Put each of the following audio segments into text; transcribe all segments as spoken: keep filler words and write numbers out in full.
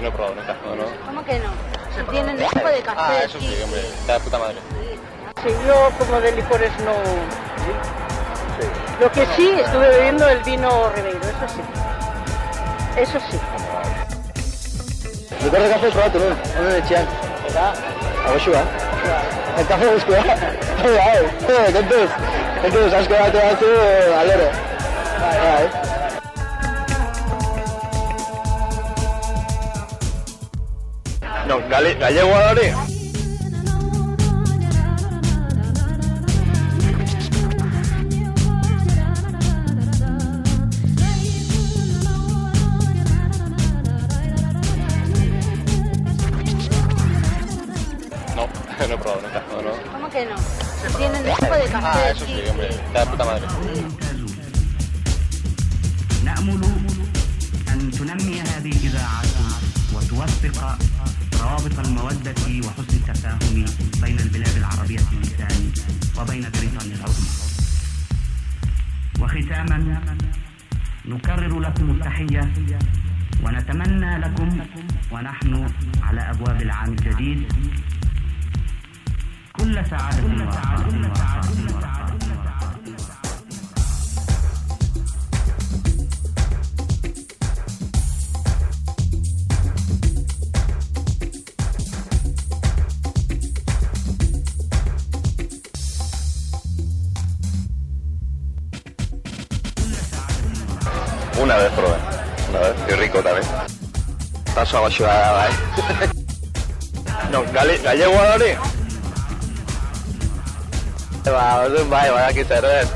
no he probado nunca, no, no. ¿Cómo que no? Si tienen tipo de café. Ah, eso sí, hombre, está de puta madre. Sí, yo como de licores no... Sí. Lo que sí, estuve bebiendo el vino Ribeiro, eso sí. Eso sí. Licor de café probatu, non? Ono de txean. Eta? Agoxua. El café guzkoa. Bai, bai, kontuz. Kontuz, asko bate batzu, alero. Bai, bai. No, gale, gallego da hori? No, no he probado nunca, no, no. ¿Cómo que no? Si tienen tipo de café. Ah, eso sí, hombre, está de puta madre. نأمل أن تنمي هذه الإذاعة وتوثق روابط المودة وحسن التفاهم بين البلاد العربية اللسان وبين بريطانيا العظمى. وختاما نكرر لكم التحية ونتمنى لكم ونحن على أبواب العام الجديد كل سعادة ورخاء. Una vez probé, una vez, qué rico también. Paso abajo a ¿eh? No, gale, gallego da hori? Ba, orduan bai, badaki zer den.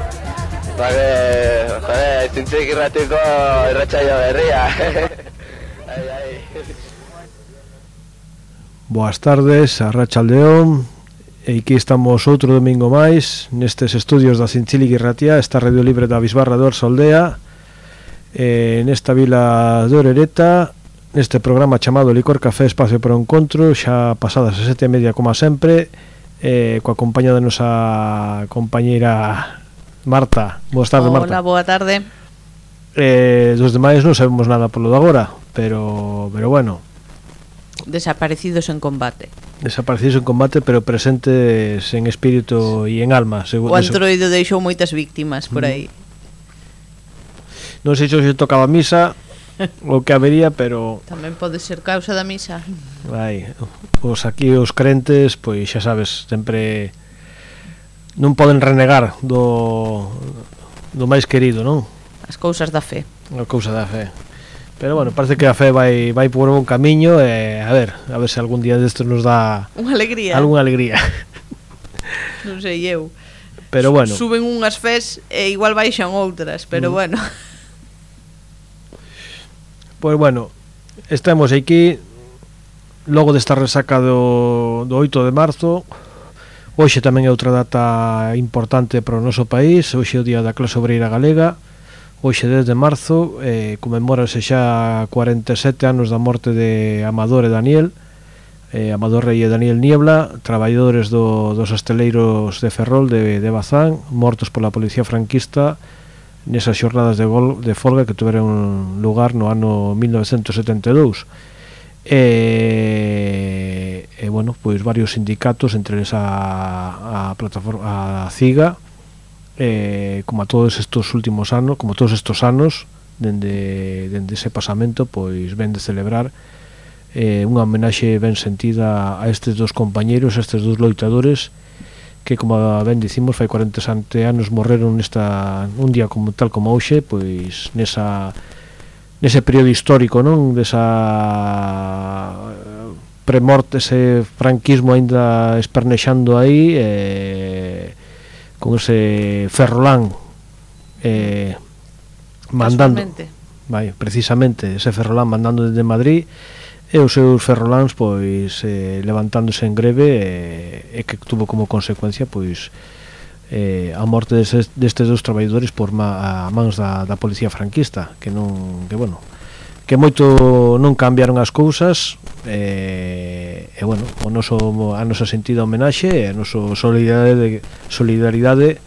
Ba, que, joder, zintzik irratiko irratsaio berria. Ai, ai. Boas tardes, arratsaldeon. E aquí estamos outro domingo máis nestes estudios da Zintzilik Irratia, esta radio libre da Bisbarra de Orsoldea. Eh, nesta vila de Orereta, neste programa chamado Licor Café Espacio para o Encontro, xa pasadas as sete e media como sempre, eh, coa compañía da nosa compañeira Marta. Boas tardes, Marta. Hola, boa tarde. Eh, dos demais non sabemos nada polo de agora, pero, pero bueno. Desaparecidos en combate. Desaparecidos en combate, pero presentes en espírito e en alma. O Antroido deixou moitas víctimas por aí. Non sei se tocaba misa o que habería, pero tamén pode ser causa da misa. Vai, os aquí os crentes, pois xa sabes, sempre non poden renegar do do máis querido, non? As cousas da fe. A cousa da fe. Pero bueno, parece que a fe vai vai por un camiño e a ver, a ver se algún día destes nos dá unha alegría. Algunha alegría. Non sei eu. Pero bueno, suben unhas fes e igual baixan outras, pero mm. bueno. Pois bueno, estamos aquí logo desta resaca do, do oito de marzo. Hoxe tamén é outra data importante para o noso país. Hoxe é o día da clase obreira galega. Hoxe dez de marzo eh, conmemórase xa cuarenta e sete anos da morte de Amador e Daniel eh, Amador Rey e Daniel Niebla, traballadores do, dos asteleiros de Ferrol de, de Bazán, mortos pola policía franquista nesas xornadas de, gol, de folga que tiveron lugar no ano mil novecentos setenta e dous. E, e bueno, pois varios sindicatos, entre eles a, a plataforma a CIGA, eh, como a todos estos últimos anos, como todos estos anos dende, dende ese pasamento, pois ven de celebrar eh, unha homenaxe ben sentida a estes dos compañeiros, a estes dos loitadores que, como ben dicimos, fai cuarenta e sete anos morreron nesta un día como tal como hoxe, pois nesa nese período histórico, non, desa premorte, ese franquismo aínda espernexando aí, eh, con ese ferrolán eh, mandando, vai, precisamente ese ferrolán mandando desde Madrid, e os seus ferroláns pois eh, levantándose en greve e, e que tuvo como consecuencia pois eh, a morte destes, destes dos traballadores por ma, a mans da, da policía franquista, que non, que bueno, que moito non cambiaron as cousas, e, e bueno, o noso, a nosa sentida homenaxe e a nosa solidaridade, solidaridade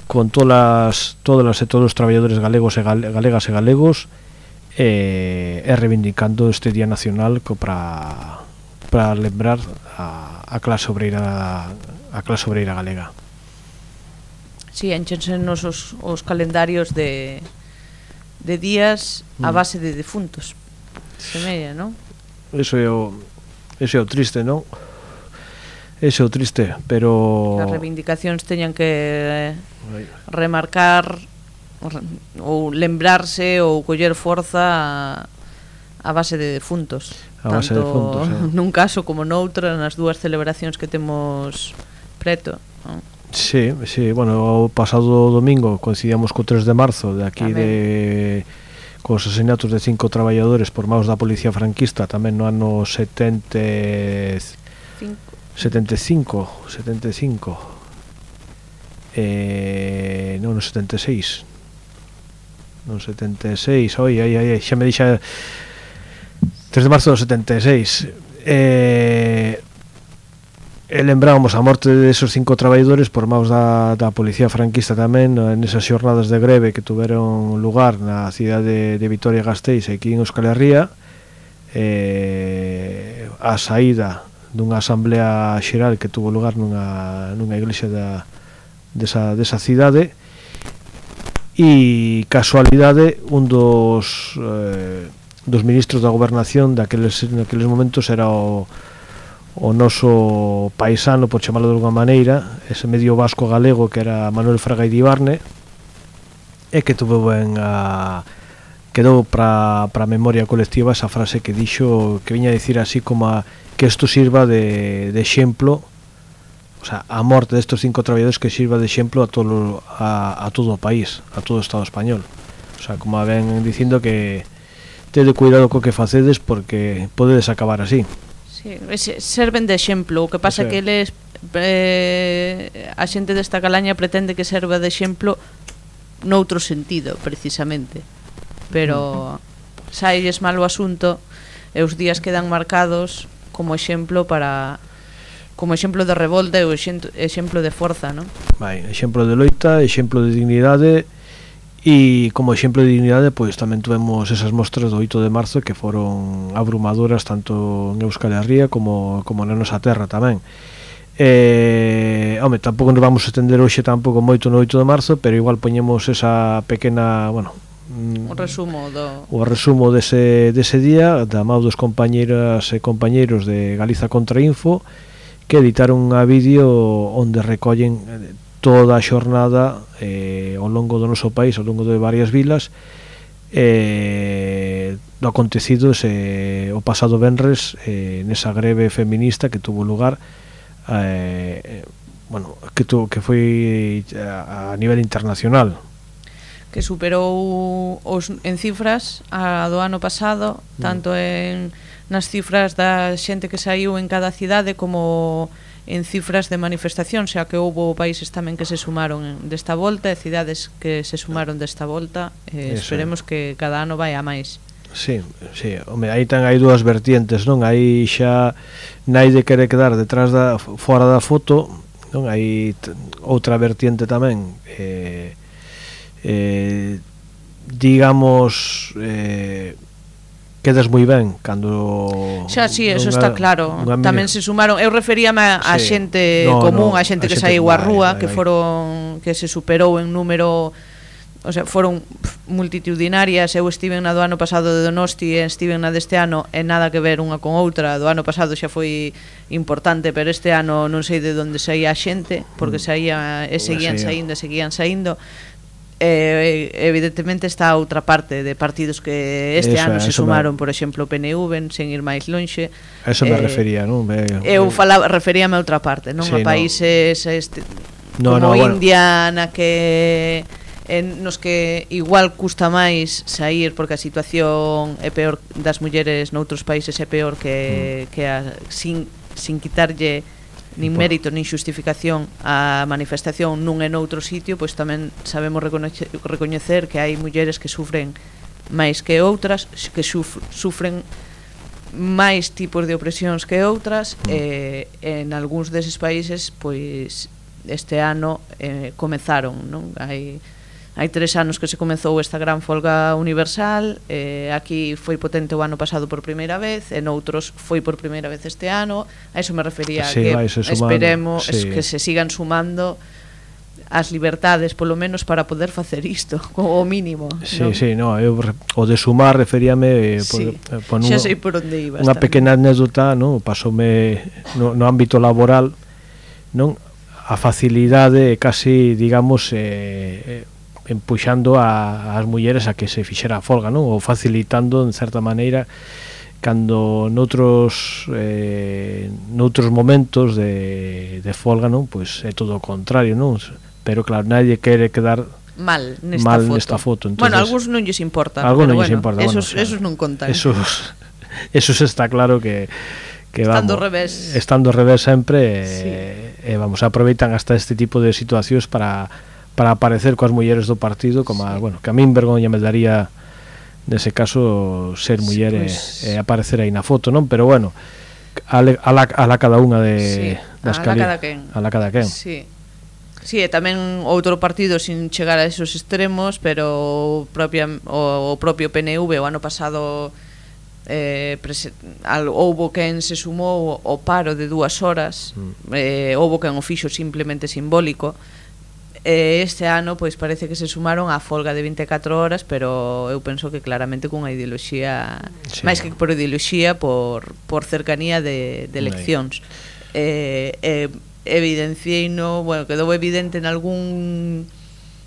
con todas todas e todos os traballadores galegos e galegas e galegos e, e reivindicando este Día Nacional para para lembrar a, a clase obreira a clase obreira galega. Si, sí, enchense nos os, os calendarios de de días a base de defuntos. Semella, non? Eso é o eso é o triste, non? Eso é o triste, pero as reivindicacións teñan que remarcar ou lembrarse ou coller forza a, a base de defuntos. A base tanto de defuntos, eh. nun caso como noutra, nas dúas celebracións que temos preto, non? Sí, sí, bueno, o pasado domingo coincidíamos co tres de marzo de aquí tamén. De cos asesinatos de cinco traballadores por maus da policía franquista tamén no ano setenta setenta e cinco setenta e cinco eh, non no setenta e seis non setenta e seis oi, ai, ai, xa me dixa tres de marzo do setenta e seis eh, e lembrábamos a morte desos cinco traballadores por maus da, da policía franquista tamén nesas xornadas de greve que tuveron lugar na cidade de Vitoria-Gasteiz aquí en Euskal Herria, eh, a saída dunha asamblea xeral que tuvo lugar nunha, nunha iglesia da, desa, desa cidade, e casualidade un dos eh, dos ministros da gobernación daqueles, naqueles momentos era o o noso paisano, por chamarlo de alguma maneira, ese medio vasco galego que era Manuel Fraga Idibarne, e que tuvo ben a quedou para a memoria colectiva esa frase que dixo, que viña a dicir así como a, que isto sirva de, de exemplo, o sea, a morte destos cinco traballadores que sirva de exemplo a todo a, a todo o país, a todo o Estado español. O sea, como ven dicindo que tede cuidado co que facedes porque podedes acabar así. Sí, serven de exemplo. O que pasa é que eles eh, a xente desta calaña pretende que serva de exemplo noutro sentido, precisamente. Pero sailles mal o asunto e os días quedan marcados como exemplo para como exemplo de revolta e o exemplo de forza, non? Vai, exemplo de loita, exemplo de dignidade. E como exemplo de dignidade, pois tamén tuvemos esas mostras do oito de marzo que foron abrumadoras tanto en Euskal Herria como, como na nosa terra tamén. Eh, home, tampouco nos vamos a estender hoxe tampouco moito no oito de marzo, pero igual poñemos esa pequena, bueno, o resumo do o resumo dese, dese día da mão dos compañeras e compañeiros de Galiza Contra Info, que editaron un vídeo onde recollen toda a xornada eh, ao longo do noso país, ao longo de varias vilas, eh, do acontecido ese, o pasado venres eh, nesa greve feminista que tuvo lugar eh, bueno, que, tu, que foi a, a nivel internacional, que superou os, en cifras a do ano pasado, tanto en nas cifras da xente que saiu en cada cidade como en cifras de manifestación, xa que houbo países tamén que se sumaron desta volta e cidades que se sumaron desta volta, eh, esperemos que cada ano vai a máis. Sí, sí, home, aí tan hai dúas vertientes, non? Aí xa naide quere quedar detrás da fora da foto, non? Hai outra vertiente tamén, eh, eh, digamos, eh, quedas moi ben cando xa, si, sí, eso está claro. Tamén se sumaron, eu referíame a, a sí. xente no, común, no, a xente a que saiu á rúa, que foron que se superou en número, o sea, foron multitudinarias. Eu estive na do ano pasado de Donosti e estive na deste ano, e nada que ver unha con outra. Do ano pasado xa foi importante, pero este ano non sei de onde saía a xente, porque saía e seguían saindo, e seguían saindo. Eh, evidentemente está a outra parte de partidos que este eso, ano se sumaron, me... por exemplo, o P N V, sen ir máis lonxe. Eso me eh, refería, non? Me... Eu falaba, referíame a outra parte, non? Sí, a países no. este, no, como no, India, bueno. na que en nos que igual custa máis sair porque a situación é peor das mulleres noutros países, é peor que, mm. que a, sin, sin quitarlle nin mérito, nin xustificación a manifestación nun e noutro sitio, pois tamén sabemos recoñecer, recoñecer que hai mulleres que sufren máis que outras, que suf, sufren máis tipos de opresións que outras, mm. e en algúns deses países, pois este ano eh, comezaron, non? Hai hai tres anos que se comezou esta gran folga universal, eh, aquí foi potente o ano pasado por primeira vez, en outros foi por primeira vez este ano. A iso me refería, sí, que esperemos sí. que se sigan sumando as liberdades, polo menos, para poder facer isto, o mínimo. Sí, non? sí, no, eu, o de sumar referíame sí, por, por xa sei por onde ibas. Unha pequena anécdota, no, pasoume no, no ámbito laboral, non, a facilidade casi, digamos, eh, empuxando a, as mulleres a que se fixera a folga, non, ou facilitando, en certa maneira, cando noutros eh, noutros momentos de, de folga, non, pois é todo o contrario, non? Pero claro, nadie quere quedar mal nesta mal foto. Nesta foto. Entonces, bueno, algúns non lles importa, algún pero non bueno, importa, esos, bueno, esos non contan. Esos, esos está claro que, que estando vamos, ao revés. Estando ao revés sempre, sí. eh, eh, vamos, aproveitan hasta este tipo de situacións para, para aparecer coas mulleres do partido, como sí. a, bueno, que a min vergoña me daría nese caso ser muller sí, pues, e eh, aparecer aí na foto, non? Pero bueno, a la, a la, a la cada unha de sí, das a la cada quen. A la cada quen. Sí. Sí, e tamén outro partido sin chegar a esos extremos, pero propia, o, o propio P N V o ano pasado eh, prese, al, houbo quen se sumou o paro de dúas horas, mm. eh, houbo quen o fixo simplemente simbólico. E este ano pois parece que se sumaron á folga de vinte e catro horas, pero eu penso que claramente cunha ideoloxía, sí. máis que por ideoloxía, por, por cercanía de, de eleccións. Eh, eh, evidenciei no, bueno, quedou evidente en algún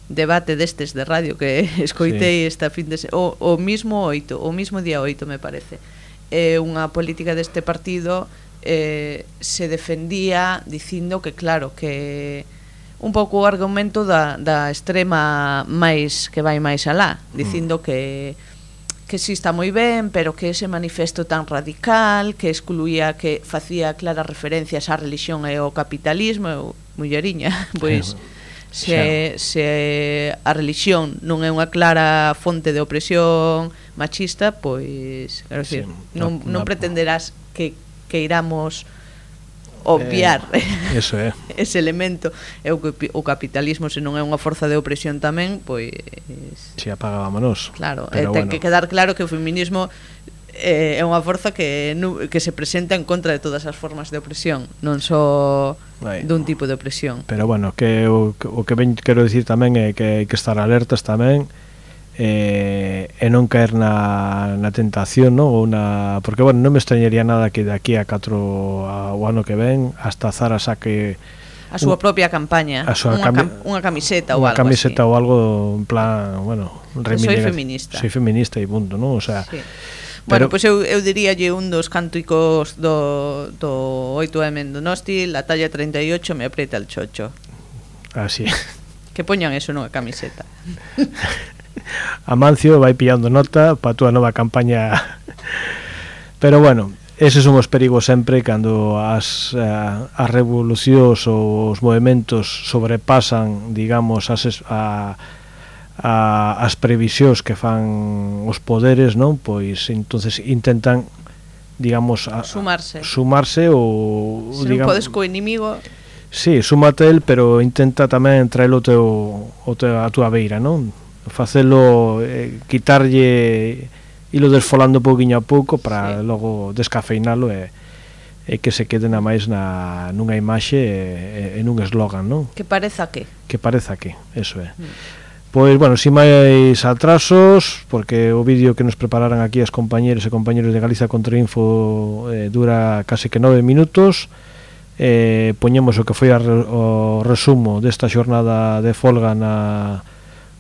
debate destes de radio que escoitei sí. esta fin de se... o, o mismo oito, o mismo día oito me parece. Eh, unha política deste partido eh, se defendía dicindo que claro, que un pouco o argumento da, da extrema máis que vai máis alá, dicindo mm. que que si está moi ben, pero que ese manifesto tan radical, que excluía, que facía claras referencias á religión e ao capitalismo, eu, mulleriña, pois se, se a religión non é unha clara fonte de opresión machista, pois quero decir, sí, non, non pretenderás que, que iramos obviar eh, eso é. ese elemento. E o, o capitalismo, se non é unha forza de opresión tamén, pois si apagámonos. Claro, eh, ten bueno. que quedar claro que o feminismo eh, é unha forza que, que se presenta en contra de todas as formas de opresión, non só Vai. dun tipo de opresión. Pero bueno, que o, o que ben quero dicir tamén é que hai que estar alertas tamén, eh, e non caer na, na tentación, no? Ou na, porque bueno, non me extrañaría nada que de aquí a catro a, o ano que ven hasta Zara saque a súa un, propia campaña, a súa unha, cami unha camiseta ou algo camiseta así. ou algo en plan, bueno, soy feminista. Soy feminista e punto, ¿no? O sea, sí. Bueno, pois pues eu, eu diríalle un dos cánticos do, do oito eme en Donosti, la talla treinta e ocho me aprieta el chocho. Así. Que poñan eso nunha camiseta. Amancio vai pillando nota para a túa nova campaña. Pero bueno, eses son os perigos sempre cando as, as revolucións ou os movimentos sobrepasan, digamos, as, a, a, as previsións que fan os poderes, non? Pois entonces intentan, digamos, a, sumarse. Sumarse ou se non podes co inimigo. Sí, súmate el, pero intenta tamén traelo o teu, o teu, a túa beira, non? Facelo, eh, quitarlle, ilo desfolando pouquiño a pouco para sí. logo descafeinalo e, e que se quede na máis na, nunha imaxe e, e nun eslogan, non? Que pareza que Que pareza que, eso é mm. Pois, bueno, si máis atrasos, porque o vídeo que nos prepararan aquí as compañeros e compañeros de Galiza Contrainfo eh, dura case que nove minutos. Eh, poñemos o que foi a, o resumo desta xornada de folga na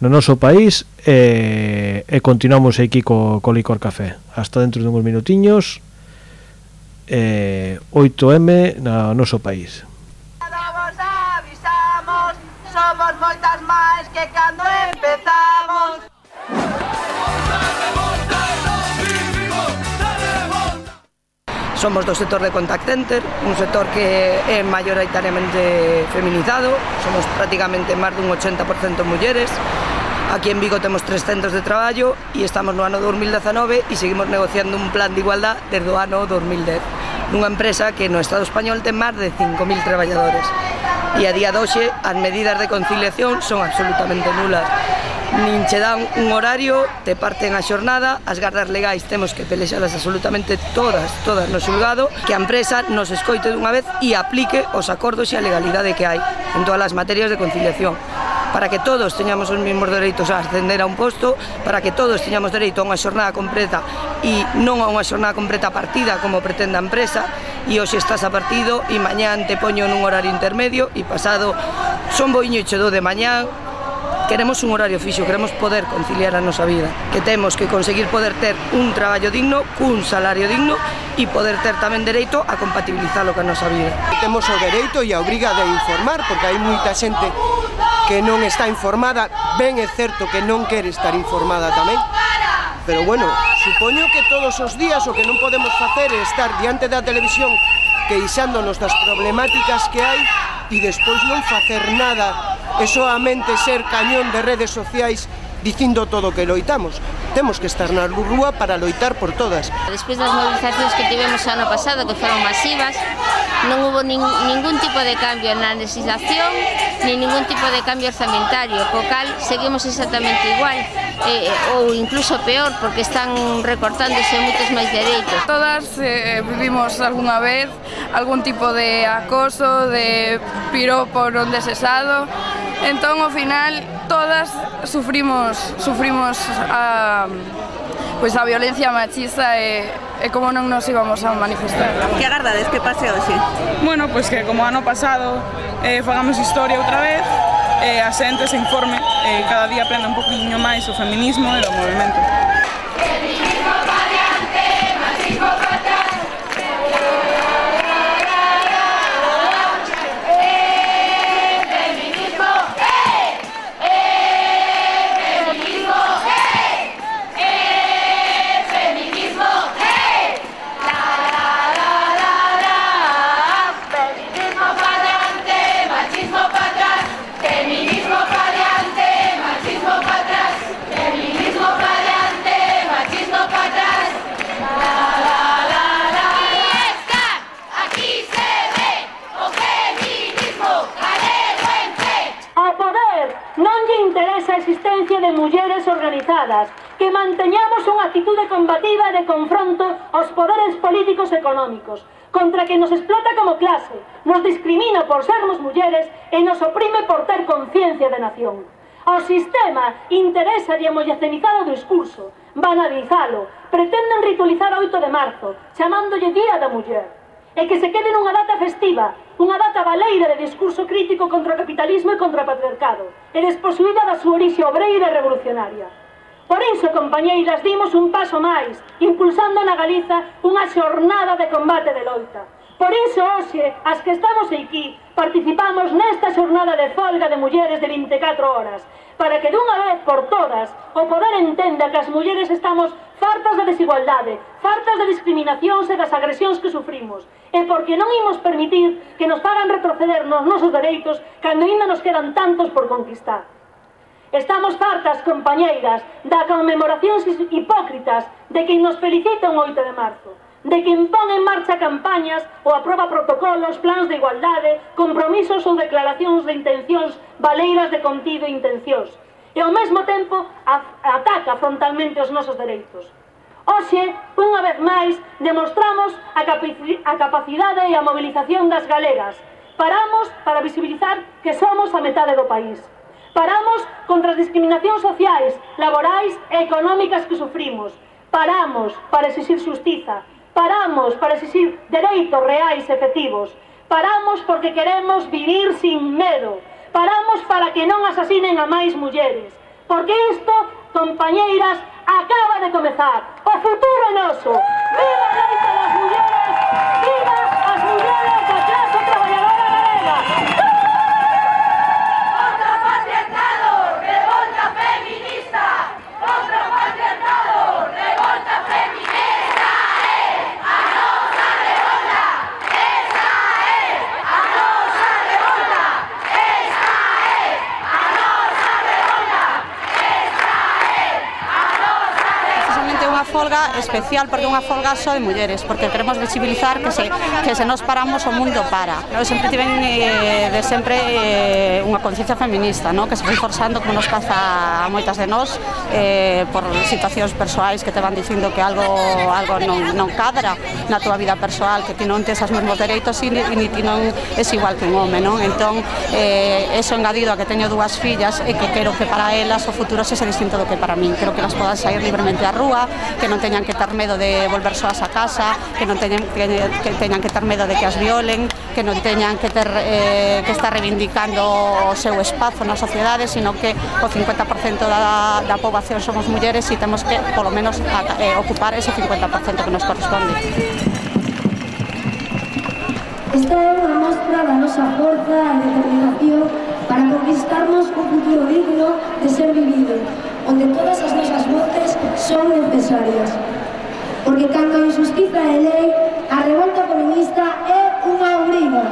no noso país e, e continuamos aquí co, co Licor Café hasta dentro de uns minutiños. eh, oito eme no noso país. Vos avisamos, somos moitas máis que cando empezamos. Somos do sector de contact center, un sector que é mayoritariamente feminizado, somos prácticamente máis dun ochenta por cento mulleres. Aquí en Vigo temos tres centros de traballo e estamos no ano dos mil dezanove e seguimos negociando un plan de igualdad desde o ano dos mil dez, nunha empresa que no Estado español ten máis de cinco mil traballadores e a día de hoxe as medidas de conciliación son absolutamente nulas. nin che dan un horario, te parten a xornada, as gardas legais temos que pelexalas absolutamente todas, todas no xulgado, que a empresa nos escoite dunha vez e aplique os acordos e a legalidade que hai en todas as materias de conciliación, para que todos teñamos os mesmos dereitos a ascender a un posto, para que todos teñamos dereito a unha xornada completa e non a unha xornada completa partida como pretende a empresa, e hoxe estás a partido e mañán te poño nun horario intermedio e pasado son boiño e che do de mañán. Queremos un horario fixo, queremos poder conciliar a nosa vida, que temos que conseguir poder ter un traballo digno, cun salario digno e poder ter tamén dereito a compatibilizalo ca nosa vida. Temos o dereito e a obriga de informar, porque hai moita xente que non está informada, ben é certo que non quere estar informada tamén, pero bueno, supoño que todos os días o que non podemos facer é estar diante da televisión queixándonos das problemáticas que hai e despois non facer nada e soamente ser cañón de redes sociais dicindo todo o que loitamos. Temos que estar na rúa para loitar por todas. Despois das movilizacións que tivemos o ano pasado, que foron masivas, non hubo nin, ningún tipo de cambio na legislación, ni ningún tipo de cambio orzamentario, co cal seguimos exactamente igual, eh, ou incluso peor, porque están recortándose moitos máis dereitos. Todas eh, vivimos algunha vez algún tipo de acoso, de piropo non desexado, entón ao final todas sufrimos sufrimos a pois a violencia machista e, e como non nos íbamos a manifestar. Que agardades que pase hoxe? Bueno, pois que como ano pasado eh, fagamos historia outra vez, eh, a xente se informe, eh, cada día aprenda un poquinho máis o feminismo e o movimento. Feminismo variante, machismo fatal. Interesa a existencia de mulleres organizadas, que manteñamos unha actitude combativa de confronto aos poderes políticos e económicos, contra que nos explota como clase, nos discrimina por sermos mulleres e nos oprime por ter conciencia de nación. Ao sistema interesa de amollacenizar o discurso, banalizalo, pretenden ritualizar o oito de marzo, chamándolle Día da Muller, e que se quede nunha data festiva, unha data baleira de discurso crítico contra o capitalismo e contra o patriarcado, e desposuída da súa orixe obreira e revolucionaria. Por iso, compañeiras, dimos un paso máis, impulsando na Galiza unha xornada de combate de loita. Por iso, hoxe, as que estamos aquí, participamos nesta xornada de folga de mulleres de vinte e catro horas, para que dunha vez por todas o poder entenda que as mulleres estamos fartas de desigualdade, fartas de discriminacións e das agresións que sufrimos, e porque non imos permitir que nos fagan retroceder nos nosos dereitos cando ainda nos quedan tantos por conquistar. Estamos fartas, compañeiras, da conmemoracións hipócritas de quen nos felicita un oito de marzo, de quen pon en marcha campañas ou aproba protocolos, plans de igualdade, compromisos ou declaracións de intencións baleiras de contido e intencións, e ao mesmo tempo ataca frontalmente os nosos dereitos. Hoxe, unha vez máis, demostramos a, a capacidade e a movilización das galegas. Paramos para visibilizar que somos a metade do país. Paramos contra as discriminacións sociais, laborais e económicas que sufrimos. Paramos para exixir xustiza. Paramos para exixir dereitos reais e efectivos. Paramos porque queremos vivir sin medo. Paramos para que non asasinen a máis mulleres. Porque isto, compañeiras, acaba de comezar. O futuro é noso. Viva a loita das mulleres! Viva as mulleres da clase traballadora galega! Contra o patriarcado, revolta feminista! Contra o patriarcado, revolta feminista! A nosa revolta! Esa é a nosa revolta! Esa é a nosa revolta! Esa é a nosa revolta! Precisamente unha folga especial porque é unha folga só de mulleres, porque queremos visibilizar que se, que se nos paramos o mundo para. Eu sempre tiven eh, de sempre eh, unha conciencia feminista, no? Que se foi forzando como nos pasa a moitas de nós eh, por situacións persoais que te van dicindo que algo algo non, non cadra na túa vida persoal, que ti non tes os mesmos dereitos e ni ti non es igual que un home, non? Entón, eh, eso engadido a que teño dúas fillas e que quero que para elas o futuro sexa distinto do que para min. Quero que elas podan sair libremente á rúa, que non teñan que ter medo de volver soas a casa, que non teñan que, que teñan que ter medo de que as violen, que non teñan que ter eh, que estar reivindicando o seu espazo na sociedade, sino que o cincuenta por cento da, da poboación somos mulleres e temos que, polo menos, a, eh, ocupar ese cincuenta por cento que nos corresponde. Esta é unha mostra da nosa forza e determinación para conquistarnos un futuro digno de ser vivido, onde todas as nosas voces son necesarias. Porque cando a injustiza é lei, a revolta feminista é unha obriga.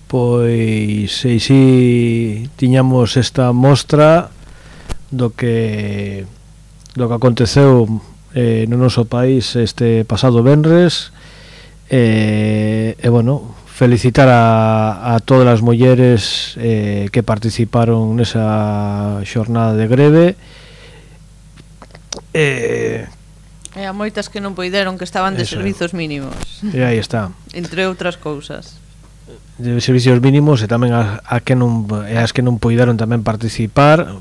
Pois e si tiñamos esta mostra do que do que aconteceu eh, no noso país este pasado venres e, e bueno, felicitar a, a todas as mulleres eh, que participaron nesa xornada de greve e E a moitas que non poideron, que estaban de Eso. servizos mínimos. E aí está. Entre outras cousas. De servicios mínimos e tamén a, a que non e as que non poideron tamén participar,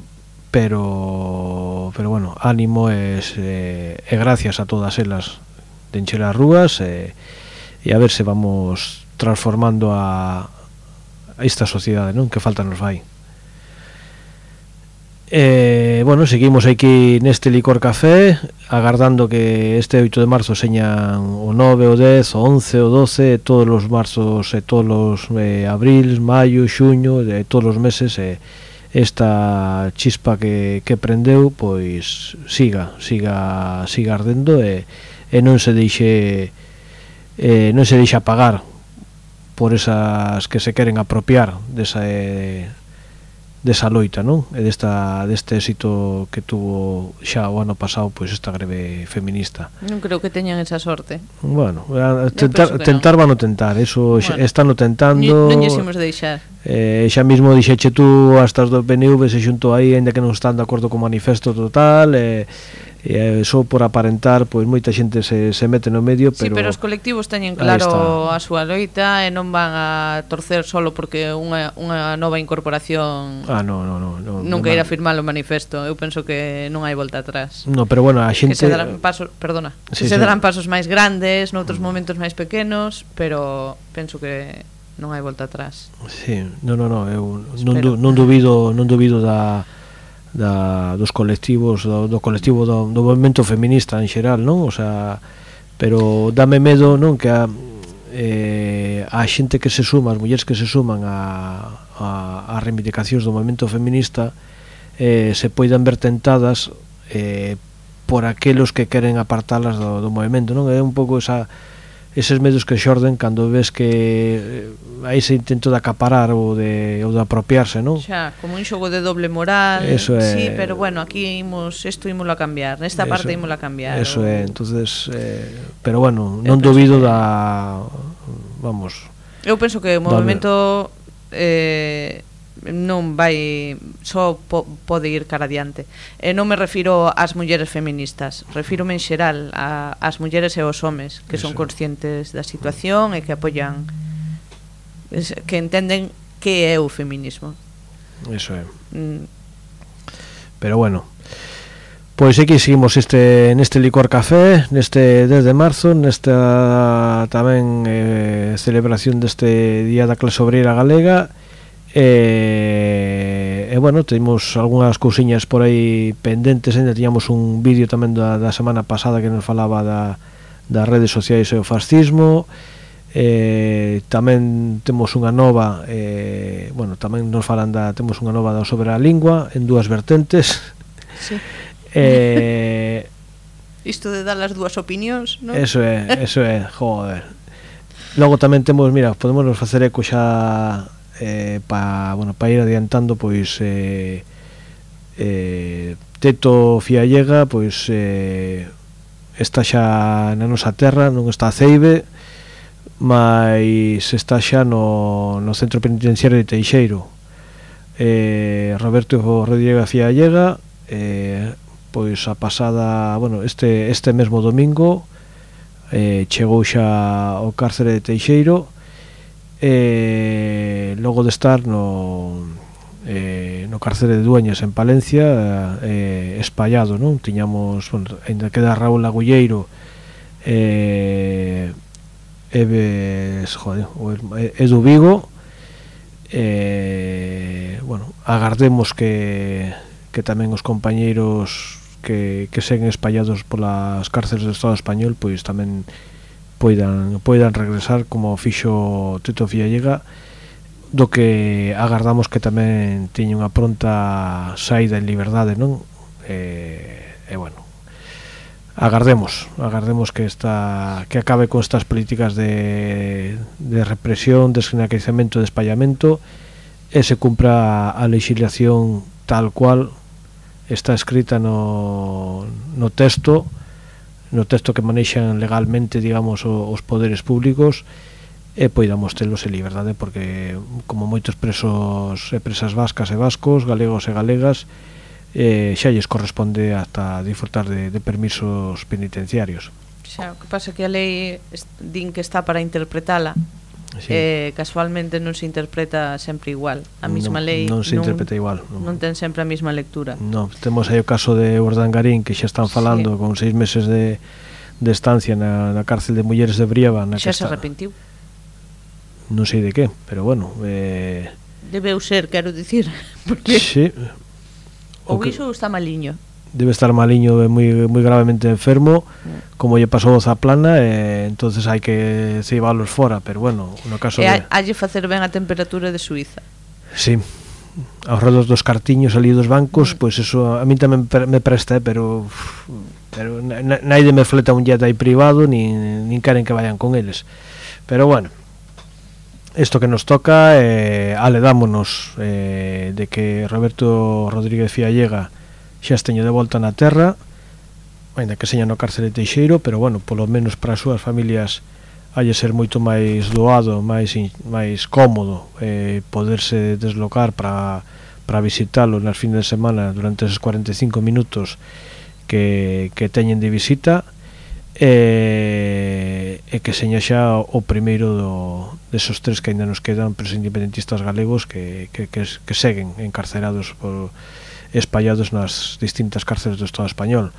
pero pero bueno, ánimo e, e, e gracias a todas elas de encher as rúas e, e a ver se vamos transformando a, a esta sociedade, non? Que falta nos vai. Eh, bueno, seguimos aquí neste Licor Café agardando que este oito de marzo señan o nove, o dez, o once, o doce, todos os marzos e todos os eh, abril, maio, xuño, de todos os meses eh, esta chispa que, que prendeu pois siga, siga, siga ardendo e, e non se deixe eh, non se deixe apagar por esas que se queren apropiar desa eh, desa loita, non? E desta, deste éxito que tuvo xa o ano pasado pois esta greve feminista. Non creo que teñan esa sorte. Bueno, tentar, tentar van a tentar, eso bueno, están o tentando. Non llexemos deixar. Eh, xa mismo dixeche tú hasta os do P N V se xunto aí, ainda que non están de acordo co manifesto total, e eh, só por aparentar, pois moita xente se, se mete no medio, pero... Sí, pero os colectivos teñen claro a súa loita e non van a torcer solo porque unha, unha nova incorporación ah, no, no, no, no, non no, queira firmar o manifesto. Eu penso que non hai volta atrás. No, pero bueno, a xente... Que se darán pasos, perdona, sí, que se darán sí. pasos máis grandes, noutros momentos máis pequenos, pero penso que non hai volta atrás. Sí, no, no, no, eu non, du, non dubido, non dubido da da dos colectivos, do, do colectivo do, do movemento feminista en xeral, non? O sea, pero dame medo, non, que a eh, a xente que se suma, as mulleres que se suman a a, a reivindicacións do movemento feminista eh, se poidan ver tentadas eh, por aquelos que queren apartalas do, do movemento, non? É un pouco esa eses medios que xorden cando ves que hai ese intento de acaparar ou de, ou de apropiarse, non? Xa, como un xogo de doble moral. Eso é, sí, pero bueno, aquí imos, isto ímolo a cambiar, nesta eso, parte ímolo a cambiar. Eso o... é, entonces eh, pero bueno, non dubido que... da vamos. Eu penso que o movemento eh non vai só po, pode ir cara adiante. E non me refiro ás mulleres feministas, refírome en xeral a, ás mulleres e aos homes que Eso. son conscientes da situación e que apoian, que entenden que é o feminismo. Eso é. Mm. Pero bueno, pois aquí seguimos este neste licor café, neste desde marzo, nesta tamén eh, celebración deste Día da Clase Obreira Galega. E, e bueno, temos algunhas cousiñas por aí pendentes, ainda tiñamos un vídeo tamén da, da semana pasada que nos falaba da, das redes sociais e o fascismo. E, tamén temos unha nova e, bueno, tamén nos falan da, temos unha nova da sobre a lingua en dúas vertentes. Sí. E, isto de dar as dúas opinións, non? Eso é, eso é, joder. Logo tamén temos, mira, podemos facer eco xa eh, para bueno, pa ir adiantando, pois eh, eh, Teto Fiallega pois eh, está xa na nosa terra, non está a Ceibe, mas está xa no, no centro penitenciario de Teixeiro. eh, Roberto Rodríguez Fiallega eh, pois a pasada, bueno, este, este mesmo domingo eh, chegou xa ao cárcere de Teixeiro. E logo de estar no eh, no cárcere de Dueñas en Palencia eh, espallado, non? Tiñamos, bueno, ainda queda Raúl Agulleiro eh, Eves, joder, Edu Vigo eh, bueno, agardemos que que tamén os compañeiros que, que seguen espallados polas cárceles do Estado español pois tamén poidan, poidan regresar como fixo Teto Fiallega, do que agardamos que tamén teña unha pronta saída en liberdade, non? E, e bueno, agardemos agardemos que esta que acabe con estas políticas de, de represión, desnacizamento, de espallamento, e se cumpra a legislación tal cual está escrita no, no texto no texto que manexan legalmente, digamos, os poderes públicos, e poidamos telos en liberdade, porque como moitos presos e presas vascas e vascos, galegos e galegas, eh, xa lles corresponde hasta disfrutar de, de permisos penitenciarios. Xa, o que pasa que a lei din que está para interpretala, sí. eh, casualmente non se interpreta sempre igual. A mesma non, lei non se non, interpreta igual, non. non ten sempre a mesma lectura. No, temos aí o caso de Urdangarín, que xa están falando, sí, con seis meses de, de estancia na, na cárcel de mulleres de Brieva, na xa que se está... arrepentiu. Non sei de que, pero bueno, eh... debeu ser, quero dicir, porque sí. Ou que... iso está maliño. Debe estar maliño, moi, moi gravemente enfermo, mm. como lle pasou a Zaplana, e entonces hai que ceibalos fora, pero bueno, no caso e de... halle facer ben a temperatura de Suiza. Sí, aos redor dos cartiños ali dos bancos, mm. pois pues eso a mí tamén me presta, eh, pero pero naide me fleta un jet aí privado, nin, nin queren que vayan con eles. Pero bueno, isto que nos toca, eh, aledámonos eh, de que Roberto Rodríguez Fiallega xa esteño de volta na terra, ainda que seña no cárcere de Teixeiro, pero bueno, polo menos para as súas familias hai de ser moito máis doado, máis máis cómodo eh, poderse deslocar para para visitarlo nas fines de semana durante esos cuarenta e cinco minutos que, que teñen de visita, e, e que seña xa o primeiro do, desos tres que ainda nos quedan presos independentistas galegos que, que, que, que seguen encarcerados por, espallados nas distintas cárceles do Estado español.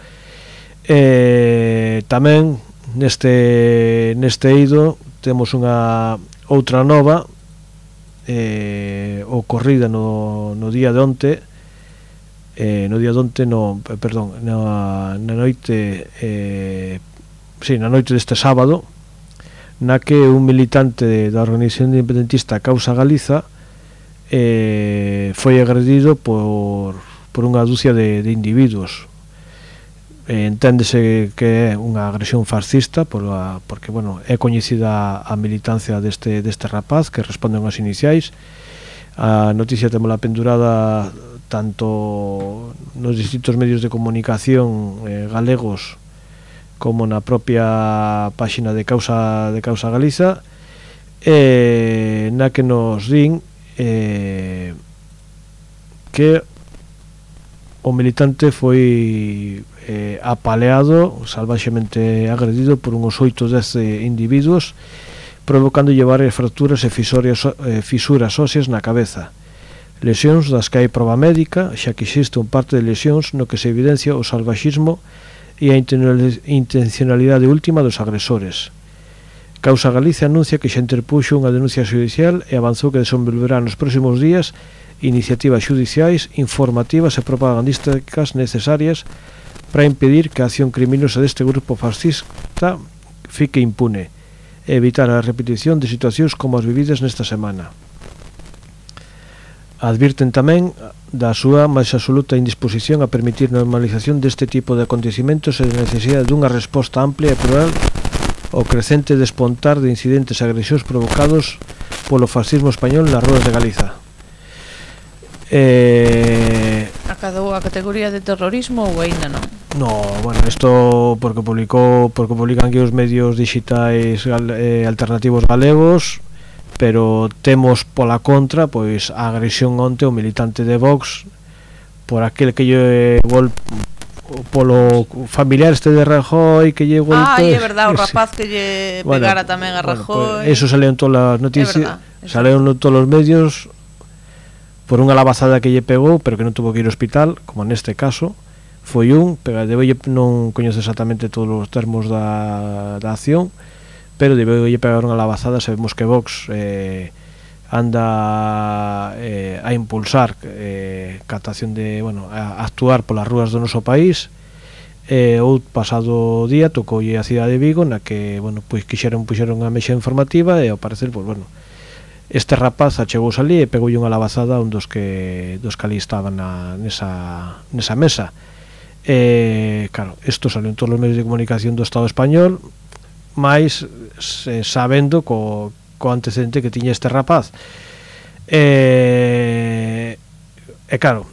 E, tamén neste, neste eido temos unha outra nova eh, ocorrida no, no día de onte eh, no día de onte no, perdón, na, na noite eh, sí, na noite deste sábado, na que un militante da organización independentista Causa Galiza eh, foi agredido por, por unha dúcia de, de individuos. Eh, enténdese que é unha agresión fascista por a, porque bueno, é coñecida a militancia deste, deste rapaz que responde aos iniciais. A noticia temola pendurada tanto nos distintos medios de comunicación eh, galegos como na propia páxina de Causa de Causa Galiza, eh, na que nos din eh, que o militante foi eh, apaleado, salvaxemente agredido por uns oito dez individuos, provocando varias fracturas e fisorias, eh, fisuras óseas na cabeza, lesións das que hai proba médica, xa que existe un parte de lesións no que se evidencia o salvaxismo e a intencionalidade última dos agresores. Causa Galicia anuncia que xa interpuxo unha denuncia xudicial e avanzou que desenvolverá nos próximos días iniciativas xudiciais, informativas e propagandísticas necesarias para impedir que a acción criminosa deste grupo fascista fique impune e evitar a repetición de situacións como as vividas nesta semana. Advirten tamén da súa máis absoluta indisposición a permitir normalización deste tipo de acontecimentos e de necesidade dunha resposta amplia e plural ao crecente despontar de incidentes e agresións provocados polo fascismo español nas ruas de Galiza. Eh... Acadou a categoría de terrorismo ou aínda non? No, bueno, isto porque publicou porque publican aquí os medios digitais eh, alternativos galegos, pero temos pola contra pois a agresión onte o militante de Vox por aquel que lle gol polo familiar este de Rajoy que lle golpe. Ah, é verdade, o rapaz que lle pegara bueno, tamén a Rajoy. Bueno, pues, eso saleu en todas as noticias, saleu en todos os medios por unha labazada que lle pegou, pero que non tuvo que ir ao hospital, como neste caso. Foi un, pero de hoxe non coñezo exactamente todos os termos da, da acción, pero de hoxe pegar unha labazada. Sabemos que Vox eh, anda eh, a impulsar eh, captación de, bueno, a actuar polas rúas do noso país. Eh, o pasado día tocoulle a cidade de Vigo, na que, bueno, pois quixeron puxeron unha mexa informativa e ao parecer, pois bueno, este rapaz achegouse ali e pegoulle unha labazada a un dos que dos que ali estaban na, nesa, nesa mesa. Eh, claro, isto salió en todos os medios de comunicación do Estado español, máis eh, sabendo co, co antecedente que tiña este rapaz. E, e claro,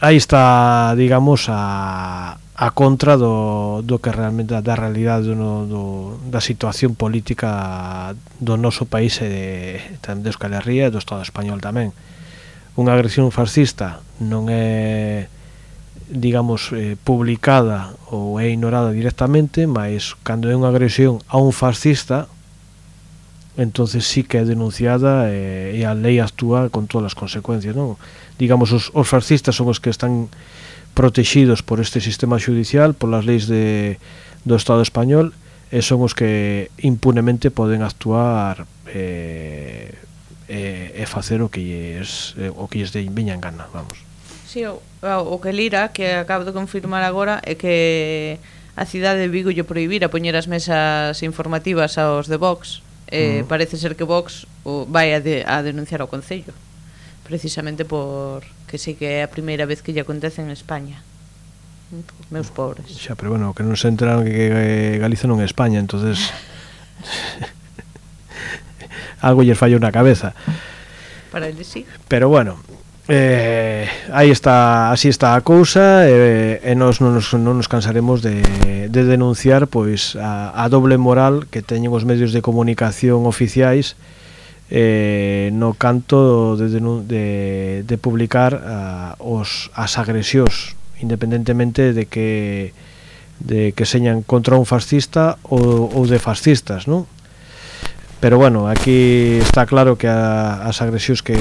aí está, digamos, a, a contra do, do que realmente da realidade do, do, da situación política do noso país e de, de Euskal Herria e do Estado español tamén. Unha agresión fascista non é, digamos, eh, publicada ou é ignorada directamente, mas cando é unha agresión a un fascista, entonces sí que é denunciada e, e a lei actúa con todas as consecuencias, non? Digamos, os, os fascistas son os que están protegidos por este sistema judicial, polas leis de, do Estado español, e son os que impunemente poden actuar e, e, e facer o que lles, o que lles veña en gana, vamos. Sí, o, o que lira, que acabo de confirmar agora, é que a cidade de Vigo lle prohibira poñer as mesas informativas aos de Vox. Eh, uh-huh. Parece ser que Vox o, vai a, de, a denunciar ao Concello, precisamente por que sí que é a primeira vez que lle acontece en España. Meus pobres. Xa, pero bueno, que non se enteraron que, que Galiza non é España, entonces algo lles fallou na cabeza. Para ele sí. Pero bueno, eh, aí está, así está a cousa, e, e nós non nos, non nos cansaremos de, de denunciar pois a, a doble moral que teñen os medios de comunicación oficiais eh, no canto de, de, de publicar a, os, as agresións, independentemente de que de que señan contra un fascista ou, ou de fascistas, non? Pero bueno, aquí está claro que a, as agresións que,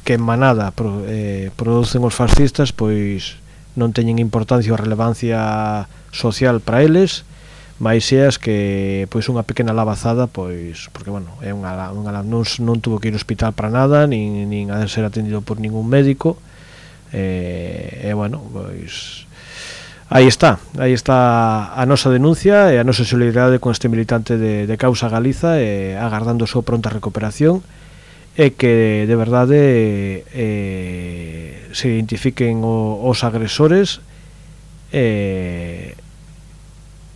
que en manada pro, eh, producen os fascistas pois non teñen importancia ou relevancia social para eles, máis seas que pois unha pequena lavazada, pois porque bueno, é unha, unha non, non tuvo que ir ao hospital para nada, nin, nin a ser atendido por ningún médico, e, e bueno, pois aí está, aí está a nosa denuncia e a nosa solidaridade con este militante de, de Causa Galiza, e agardando a súa pronta recuperación, e que de verdade eh, se identifiquen o, os agresores, e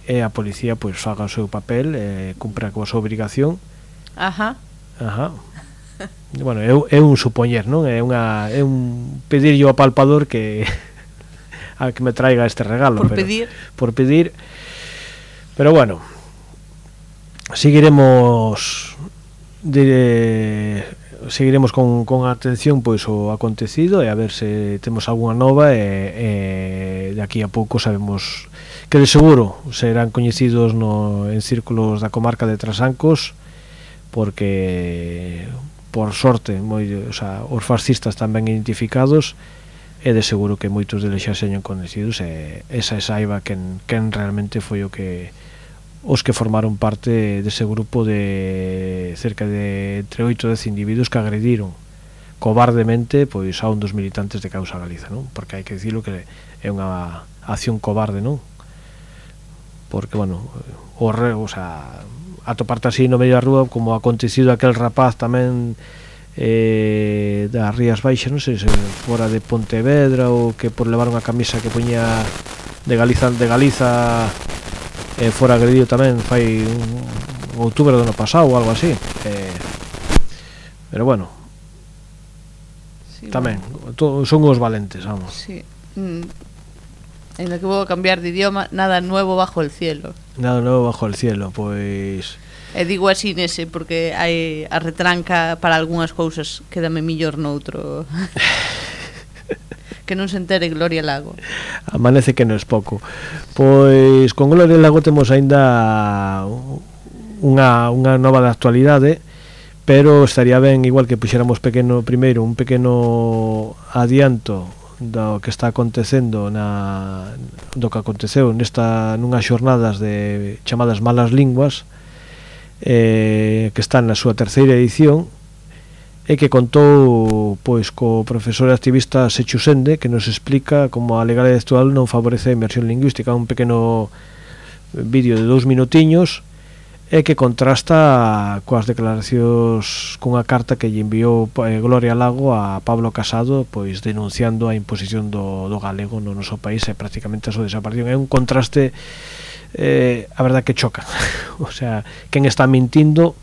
e a policía pois faga o seu papel e cumpra coa súa obrigación. Ajá. Ajá. Bueno, é, é un supoñer, non? É unha é un pedirlle ao palpador que a que me traiga este regalo, por pero, pedir. Por pedir. Pero bueno, seguiremos de, seguiremos con, con atención pois o acontecido, e a ver se temos algunha nova, e, e de aquí a pouco sabemos que de seguro serán coñecidos no, en círculos da comarca de Trasancos, porque por sorte moi, o sea, os fascistas tamén identificados, e de seguro que moitos deles xa señan coñecidos, e esa é saiba quen, quen realmente foi o que os que formaron parte dese grupo de cerca de entre oito a dez individuos que agrediron cobardemente pois a un dos militantes de Causa Galiza, non? Porque hai que dicilo que é unha acción cobarde, non? Porque, bueno, o, re, o sea, atoparte así no medio da rúa, como acontecido aquel rapaz tamén eh, das Rías Baixas, non sei se fora de Pontevedra, ou que por levar unha camisa que poñía de Galiza, de Galiza eh, fora agredido tamén fai un, un outubro do ano pasado ou algo así, eh, pero bueno, sí, tamén bueno. To, son os valentes, vamos. Sí. Mm. En lo que vou a cambiar de idioma, nada nuevo bajo el cielo. Nada nuevo bajo el cielo, pois... E digo así nese, porque hai a retranca para algunhas cousas quédame millor noutro. Que non se entere Gloria Lago. Amanece que non es pouco. Pois con Gloria Lago temos aínda unha, unha nova de actualidade, pero estaría ben igual que puxéramos pequeno primeiro un pequeno adianto do que está acontecendo na do que aconteceu nesta nunhas xornadas de chamadas Malas Linguas, eh, que están na súa terceira edición, e que contou pois co profesor activista Sechu Sende, que nos explica como a legalidade actual non favorece a inmersión lingüística. Un pequeno vídeo de dous minutiños, e que contrasta coas declaracións cunha carta que lle enviou eh, Gloria Lago a Pablo Casado, pois denunciando a imposición do, do galego no noso país e prácticamente a súa desaparición. É un contraste eh, a verdad que choca. O sea, quen está mintindo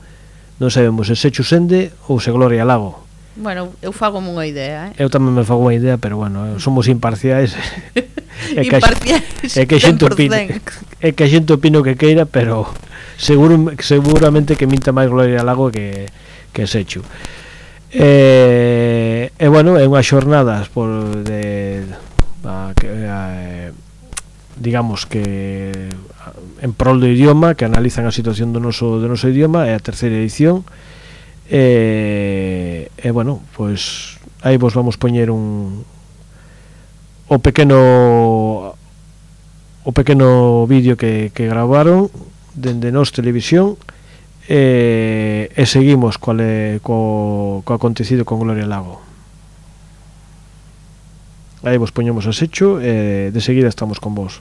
non sabemos se Sechu Sende ou se Gloria Lago. Bueno, eu fago unha idea, eh? Eu tamén me fago unha idea, pero bueno, somos imparciais. É que imparciais, é que a xente opine, é que a xente opine o que queira, pero seguro, seguramente que minta máis Gloria Lago que, que Sechu. E, e bueno, é unhas xornadas por de a, que, a, digamos que en prol do idioma, que analizan a situación do noso, do noso idioma. É a terceira edición. E, e bueno, pois aí vos vamos poñer un o pequeno o pequeno vídeo que, que gravaron dende Nos Televisión, e, e seguimos co, co, co acontecido con Gloria Lago. Aí vos poñemos a Sechu e de seguida estamos con vos.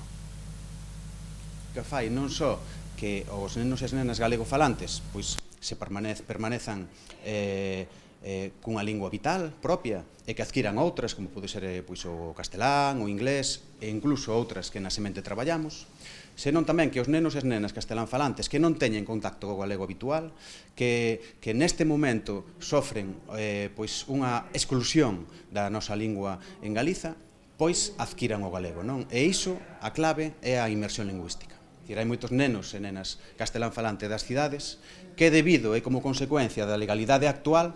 Que fai non só que os nenos e as nenas galego falantes pois se permanez, permanezan eh, eh, cunha lingua vital propia e que adquiran outras, como pode ser eh, pois, o castelán, o inglés e incluso outras que na semente traballamos, senón tamén que os nenos e as nenas castelán falantes que non teñen contacto co galego habitual, que, que neste momento sofren eh, pois unha exclusión da nosa lingua en Galiza, pois adquiran o galego, non? E iso, a clave, é a inmersión lingüística. Hai moitos nenos e nenas castelán falante das cidades que, debido e como consecuencia da legalidade actual,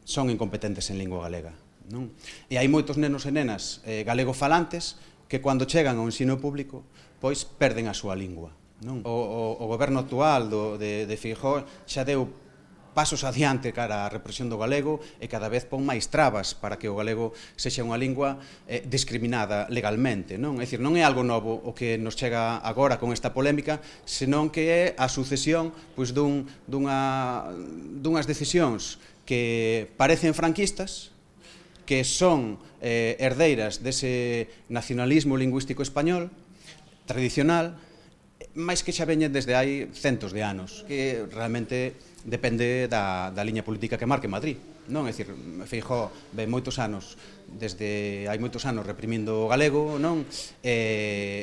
son incompetentes en lingua galega, non? E hai moitos nenos e nenas eh, galego falantes que, cando chegan ao ensino público, pois perden a súa lingua, non? O, o, o goberno actual do, de, de Feijóo xa deu pasos adiante cara á represión do galego e cada vez pon máis trabas para que o galego sexa unha lingua eh, discriminada legalmente, non? É dicir, non é algo novo o que nos chega agora con esta polémica, senón que é a sucesión pois, dun, dunha, dunhas decisións que parecen franquistas, que son eh, herdeiras dese nacionalismo lingüístico español tradicional, máis que xa veñen desde hai centos de anos, que realmente depende da, da liña política que marque Madrid, non? É dicir, Feijóo ve moitos anos, desde hai moitos anos reprimindo o galego, non? E,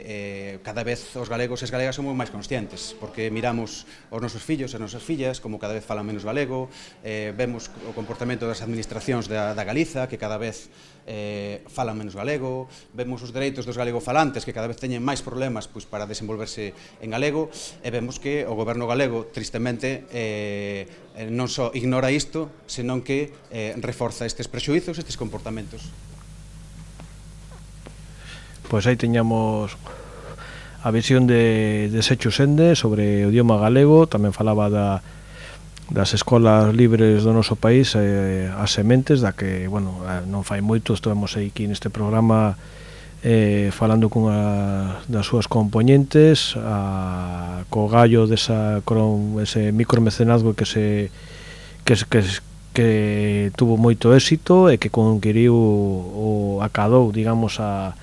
e cada vez os galegos e as galegas somos máis conscientes, porque miramos os nosos fillos e as nosas fillas como cada vez falan menos galego, eh, vemos o comportamento das administracións da, da Galiza, que cada vez eh, falan menos galego, vemos os dereitos dos galegofalantes que cada vez teñen máis problemas pois, para desenvolverse en galego, e vemos que o goberno galego, tristemente, eh, non só ignora isto, senón que eh, reforza estes prexuizos, estes comportamentos. Pois aí teñamos a visión de, de Secho Sende sobre o idioma galego, tamén falaba da das escolas libres do noso país, eh, as sementes, da que, bueno, non fai moito, estivemos aí aquí neste programa eh, falando cunha das súas componentes, a, co gallo desa, con ese micromecenazgo que se que, que, que tuvo moito éxito e que conquiriu o acadou, digamos, a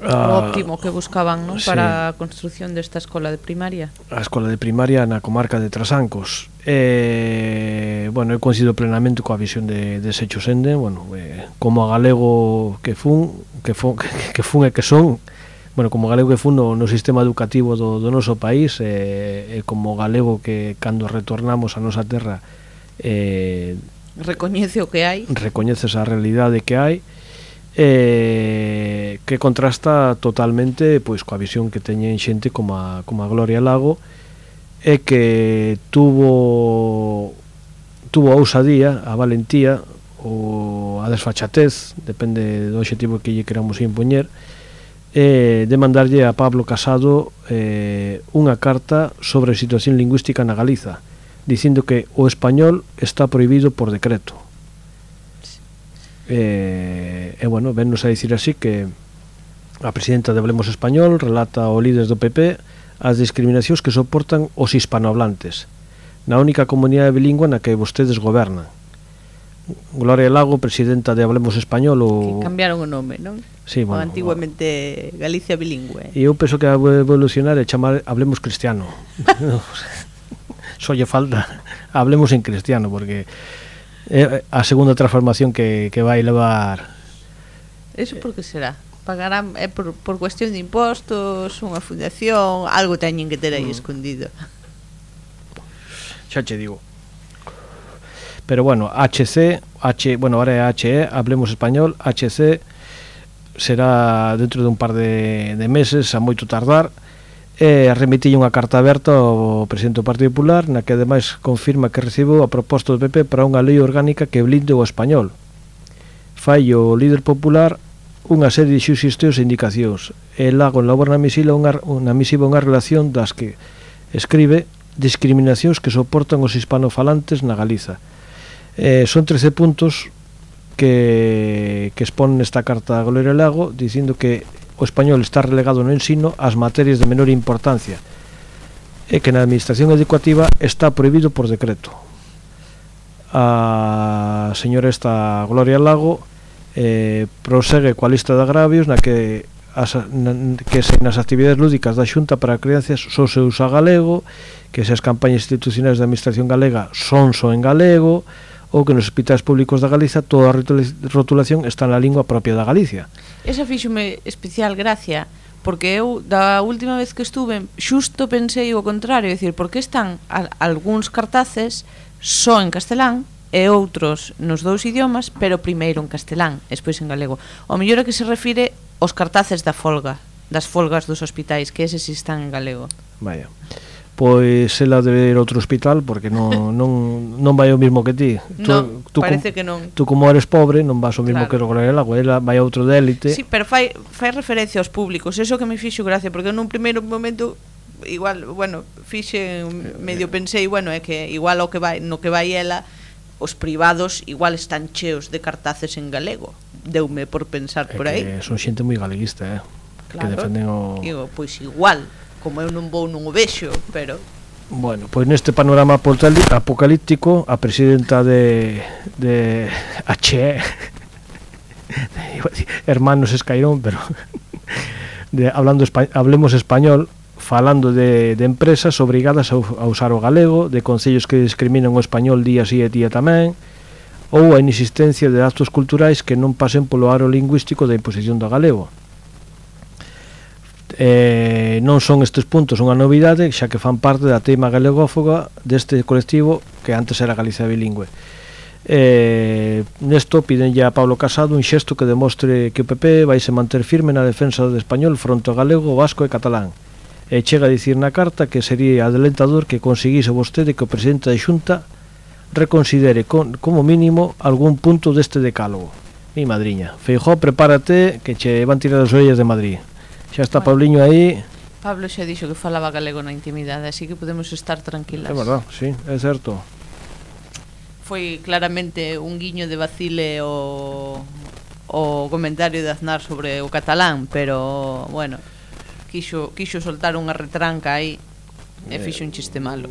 o óptimo que buscaban, ¿no? Sí. Para a construción desta escola de primaria. A escola de primaria na comarca de Trasancos. Eh, bueno, eu coincido plenamente coa visión de, de Secho Sende, bueno, eh, como a galego que fun, que fun, que, que fun e que son, bueno, como galego que fun no, no sistema educativo do, do noso país, e eh, como galego que cando retornamos a nosa terra eh, recoñece o que hai. Recoñece esa realidade que hai. Eh, que contrasta totalmente pois coa visión que teñen xente como a, como a Gloria Lago, e que tuvo tuvo a ousadía, a valentía ou a desfachatez, depende do obxectivo que lle queramos impoñer, eh, de mandarlle a Pablo Casado eh, unha carta sobre a situación lingüística na Galiza, dicindo que o español está prohibido por decreto. E, e bueno, vennos a dicir así que a presidenta de Hablemos Español relata ao líder do P P as discriminacións que soportan os hispanohablantes na única comunidade bilingüe na que vostedes gobernan. Gloria Lago, presidenta de Hablemos Español, o... que cambiaron o nome, non? Sí, bueno, antiguamente Galicia Bilingüe. E eu penso que a evolucionar é chamar Hablemos Cristiano. Só lle falta Hablemos en Cristiano, porque é a segunda transformación que, que vai levar. Eso por que será? Pagarán é por, por cuestión de impostos, unha fundación, algo teñen que ter aí mm. escondido. Xa che digo. Pero bueno, H C, H, bueno, ahora é H E, Hablemos Español, H C será dentro de un par de, de meses, a moito tardar. E remitille unha carta aberta ao presidente do Partido Popular, na que ademais confirma que recibou a proposta do P P para unha lei orgánica que blinde o español. Fai o líder popular unha serie de xusticións e indicacións, e Lago elabora na misiva unha, unha misiva unha relación das que escribe discriminacións que soportan os hispanofalantes na Galiza. Eh, son trece puntos que, que expón nesta carta a Gloria Lago, dicindo que o español está relegado no ensino ás materias de menor importancia e que na administración educativa está prohibido por decreto. A señora esta Gloria Lago eh, prosegue coa lista de agravios na que as, que se nas actividades lúdicas da Xunta para crianzas só se usa galego, que se as campañas institucionais da administración galega son só en galego, ou que nos hospitais públicos da Galiza toda a rotulación está na lingua propia da Galicia. Esa fíxome especial gracia, porque eu da última vez que estuve xusto pensei o contrario, é dicir, porque están a, algúns cartaces só en castelán e outros nos dous idiomas, pero primeiro en castelán, despois en galego. O mellor é que se refire aos cartaces da folga, das folgas dos hospitais, que eses están en galego. Vaya. Pois ela debe ir a outro hospital porque non, non, non vai o mismo que ti. Non, tú, parece com, que non. Tú como eres pobre non vas o mismo claro. que Gloria Lago, ela vai a outro de élite. Sí, pero fai, fai referencia aos públicos, eso que me fixo gracia, porque nun primeiro momento igual, bueno, fixe medio pensei, bueno, é que igual o que vai, no que vai ela os privados igual están cheos de cartaces en galego. Deume por pensar por aí. É que son xente moi galeguista, eh? Claro. Que defenden o... Digo, pois igual, como eu non vou non o vexo, pero... Bueno, pois neste panorama apocalíptico, a presidenta de, de H E, Hermanos Escairón, pero de, hablando espa, hablemos español, falando de, de empresas obrigadas a, a usar o galego, de concellos que discriminan o español día sí e día tamén, ou a inexistencia de actos culturais que non pasen polo aro lingüístico da imposición do galego. Eh, non son estes puntos unha novidade, xa que fan parte da teima galegófoga deste colectivo que antes era Galicia bilingüe. Eh, nesto piden ya a Pablo Casado un xesto que demostre que o P P vai se manter firme na defensa do español fronte ao galego, vasco e catalán. E chega a dicir na carta que sería adelantador que conseguise vostede que o presidente da Xunta reconsidere con, como mínimo algún punto deste decálogo. Mi madriña, Feijóo, prepárate que che van tirar as orellas de Madrid. Xa está bueno, Pauliño aí. Pablo xa dixo que falaba galego na intimidade, así que podemos estar tranquilas. É verdad, sí, é certo. Foi claramente un guiño de vacile o, o comentario de Aznar sobre o catalán, pero, bueno, quixo, quixo soltar unha retranca aí e fixo un chiste malo.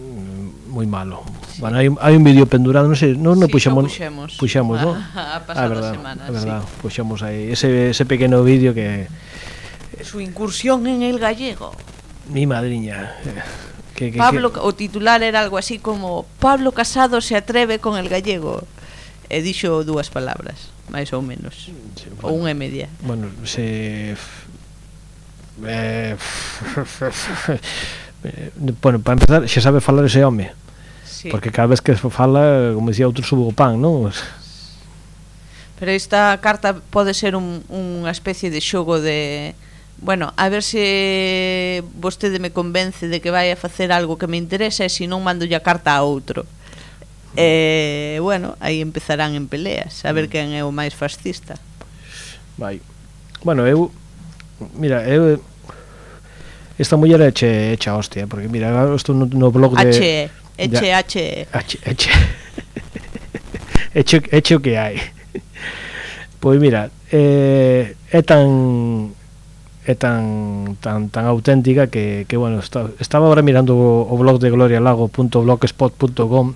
Moi malo. Sí. Bueno, hai, hai un vídeo pendurado, non sei, non, non sí, puxemos, puxemos, puxemos, non? A, a pasada ah, verdad, semana, é verdad, sí. Puxemos aí ese, ese pequeno vídeo que... Su incursión en el gallego. Mi madriña. Que, que, Pablo, que... o titular era algo así como Pablo Casado se atreve con el gallego. E dixo dúas palabras, máis ou menos. Sí, bueno, ou unha e media. Bueno, se... Eh... bueno, para empezar, xa sabe falar ese home. Sí. Porque cada vez que fala, como dicía outro, subo o pan, non? Pero esta carta pode ser un, unha especie de xogo de... Bueno, a ver se vostede me convence de que vai a facer algo que me interesa e se non mando ya carta a outro. E, bueno, aí empezarán en peleas, a ver quen é o máis fascista. Vai. Bueno, eu... Mira, eu... Esta muller é che, echa hostia, porque mira, estou no, no blog de... H E, eche, H E. H, eche. Eche, eche o que hai. Pois mira, eh, é tan... é tan tan tan auténtica que, que bueno, está, estaba agora mirando o, o blog de glorialago punto blogspot punto com.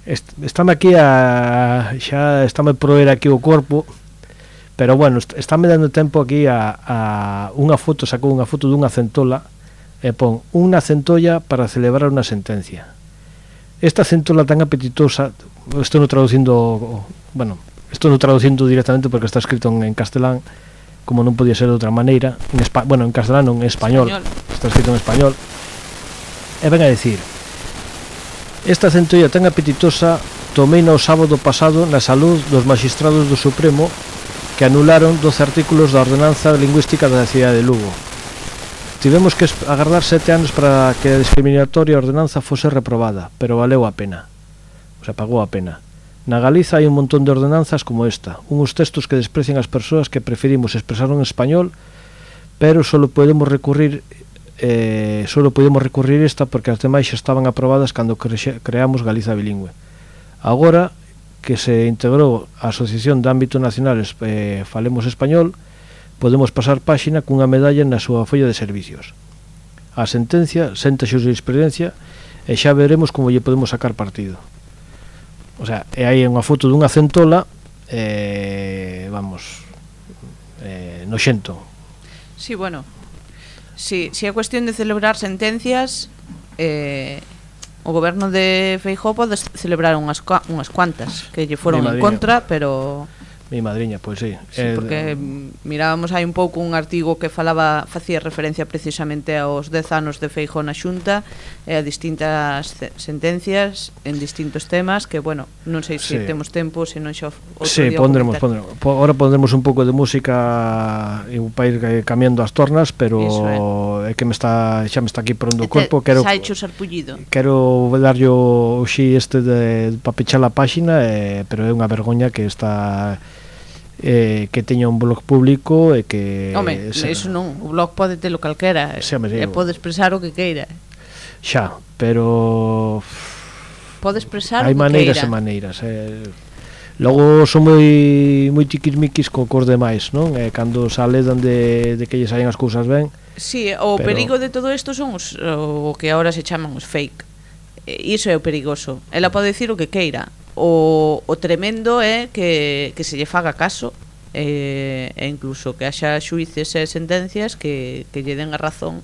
Est, estame aquí a xa estame proer aquí o corpo, pero bueno, estáme dando tempo aquí a, a unha foto, sacou unha foto dunha centola e pon unha centolla para celebrar unha sentencia. Esta centola tan apetitosa, estou no traducindo, bueno, estou no traducindo directamente porque está escrito en, en castelán, como non podía ser de outra maneira, en espa, bueno, en castelán non, en español, español, está escrito en español. E ven a decir: esta centolla tan apetitosa tomeina o sábado pasado na salud dos magistrados do Supremo que anularon doce artículos da ordenanza lingüística da cidade de Lugo. Tivemos que agardar sete anos para que a discriminatoria ordenanza fose reprobada, pero valeu a pena. O sea, pagou a pena. Na Galiza hai un montón de ordenanzas como esta, uns textos que desprecian as persoas que preferimos expresar en español, pero solo podemos recurrir eh, solo podemos recurrir esta porque as demais xa estaban aprobadas cando cre creamos Galiza bilingüe. Agora que se integrou a Asociación de Ámbito Nacional eh, Falemos Español, podemos pasar páxina cunha medalla na súa folla de servicios. A sentencia senta xurisprudencia e xa veremos como lle podemos sacar partido. O sea, e hai unha foto dunha centola, eh, vamos, eh, noxento. Sí, bueno, si, si é cuestión de celebrar sentencias, eh, o goberno de Feijóo pode celebrar unhas, unhas cuantas que lle foron en contra, pero... Mi madriña, pois sí. Sí, eh, porque mirábamos hai un pouco un artigo que falaba, facía referencia precisamente aos dez anos de Feijóo na Xunta e a distintas sentencias en distintos temas que, bueno, non sei se sí. temos tempo, se non xa outro sí, día pondremos, pondremos. Ahora pondremos un pouco de música para ir cambiando as tornas, pero é. é que me está xa me está aquí pondo o corpo, quero xa hecho sarpullido. Quero darlle o xi este de para pechar a páxina, eh, pero é unha vergoña que está Eh, que teña un blog público e que... Home, se, eso non, o blog pode telo calquera e pode expresar o que queira. Xa, pero... Pode expresar hai o que maneiras queira. e maneiras eh. Logo son moi moi tiquismiquis co cos demais, non? Eh, cando sale de, de que lle saen as cousas ben. Sí, o pero... perigo de todo isto son os, o que agora se chaman os fake. E iso é o perigoso. Ela pode dicir o que queira. O, o tremendo é que, que se lle faga caso e, e incluso que haxa xuíces e sentencias que, que lle den a razón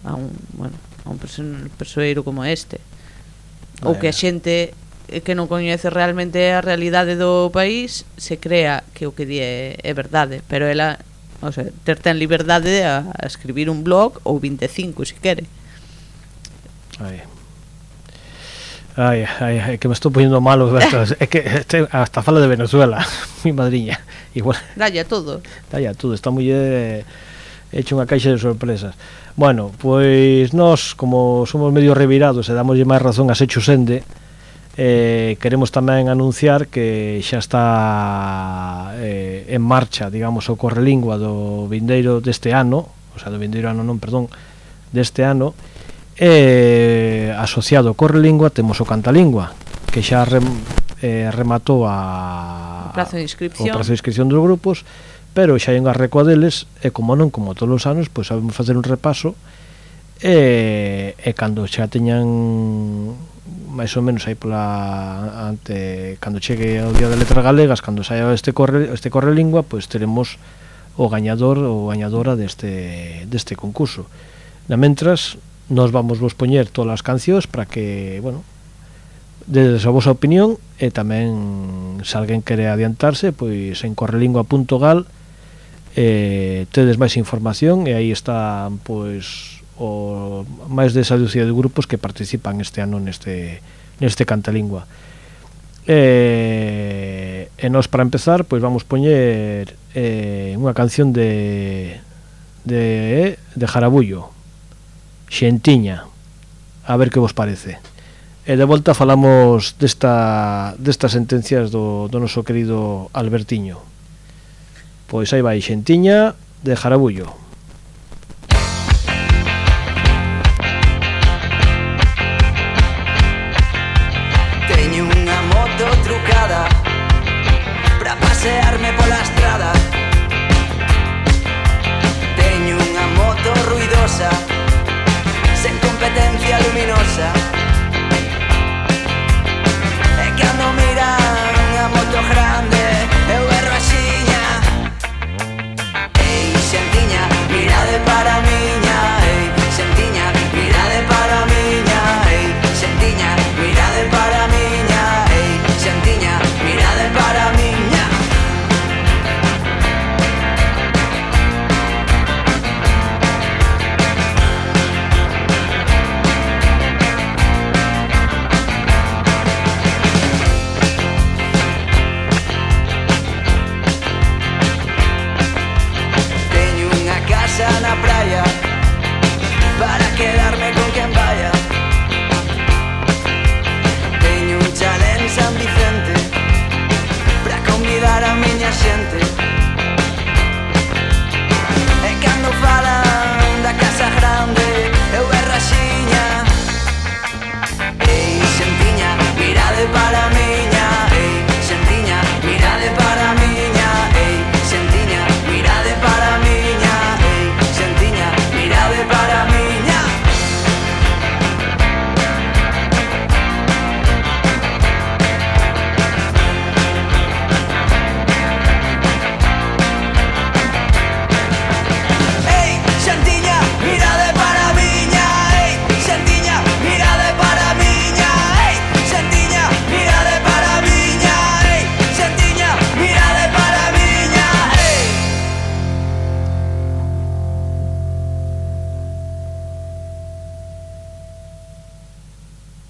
a un, bueno, a un persoeiro como este, ou que a xente que non coñece realmente a realidade do país se crea que o que di é, é verdade, pero ela, o sea, ter ten liberdade a, a escribir un blog ou vinte e cinco se quere. Ai. Ai, ai, ai, que me estou poniendo malo. É que este, hasta fala de Venezuela, mi madriña. Igual. Dalle a todo. Dalle a todo, está moi eh, hecho unha caixa de sorpresas. Bueno, pois nós, como somos medio revirados e damoslle máis razón a Secho Sende, eh, queremos tamén anunciar que xa está eh, en marcha, digamos, o Correlingua do vindeiro deste ano, o sea, do vindeiro ano non, perdón, deste ano. E asociado ao Correlingua temos o Cantalingua, que xa rem, eh, rematou a, o prazo de inscripción. o prazo de inscripción dos grupos, pero xa hai unha recua deles e como non, como todos os anos, pois sabemos facer un repaso e, e cando xa teñan máis ou menos aí pola ante, cando chegue o Día de Letras Galegas, cando saia este corre, este Correlingua, pois teremos o gañador ou gañadora deste, deste concurso. Na mentras nos vamos vos poñer todas as cancións para que, bueno, dedes a vosa opinión e tamén se alguén quere adiantarse, pois en correlingua punto gal eh, tedes máis información e aí está, pois, o máis desa dúcia de grupos que participan este ano neste, neste Cantalingua. E, e nos, para empezar, pois vamos poñer eh, unha canción de de, de Jarabullo, Xentiña, a ver que vos parece. E de volta falamos desta, destas sentencias do, do noso querido Albertiño. Pois aí vai Xentiña de Jarabullo. Teño unha moto trucada pra pasearme pola estrada. Teño unha moto ruidosa sen competencia luminosa. E cando miran a moto grande eu berro axiña. Ei, Xentiña,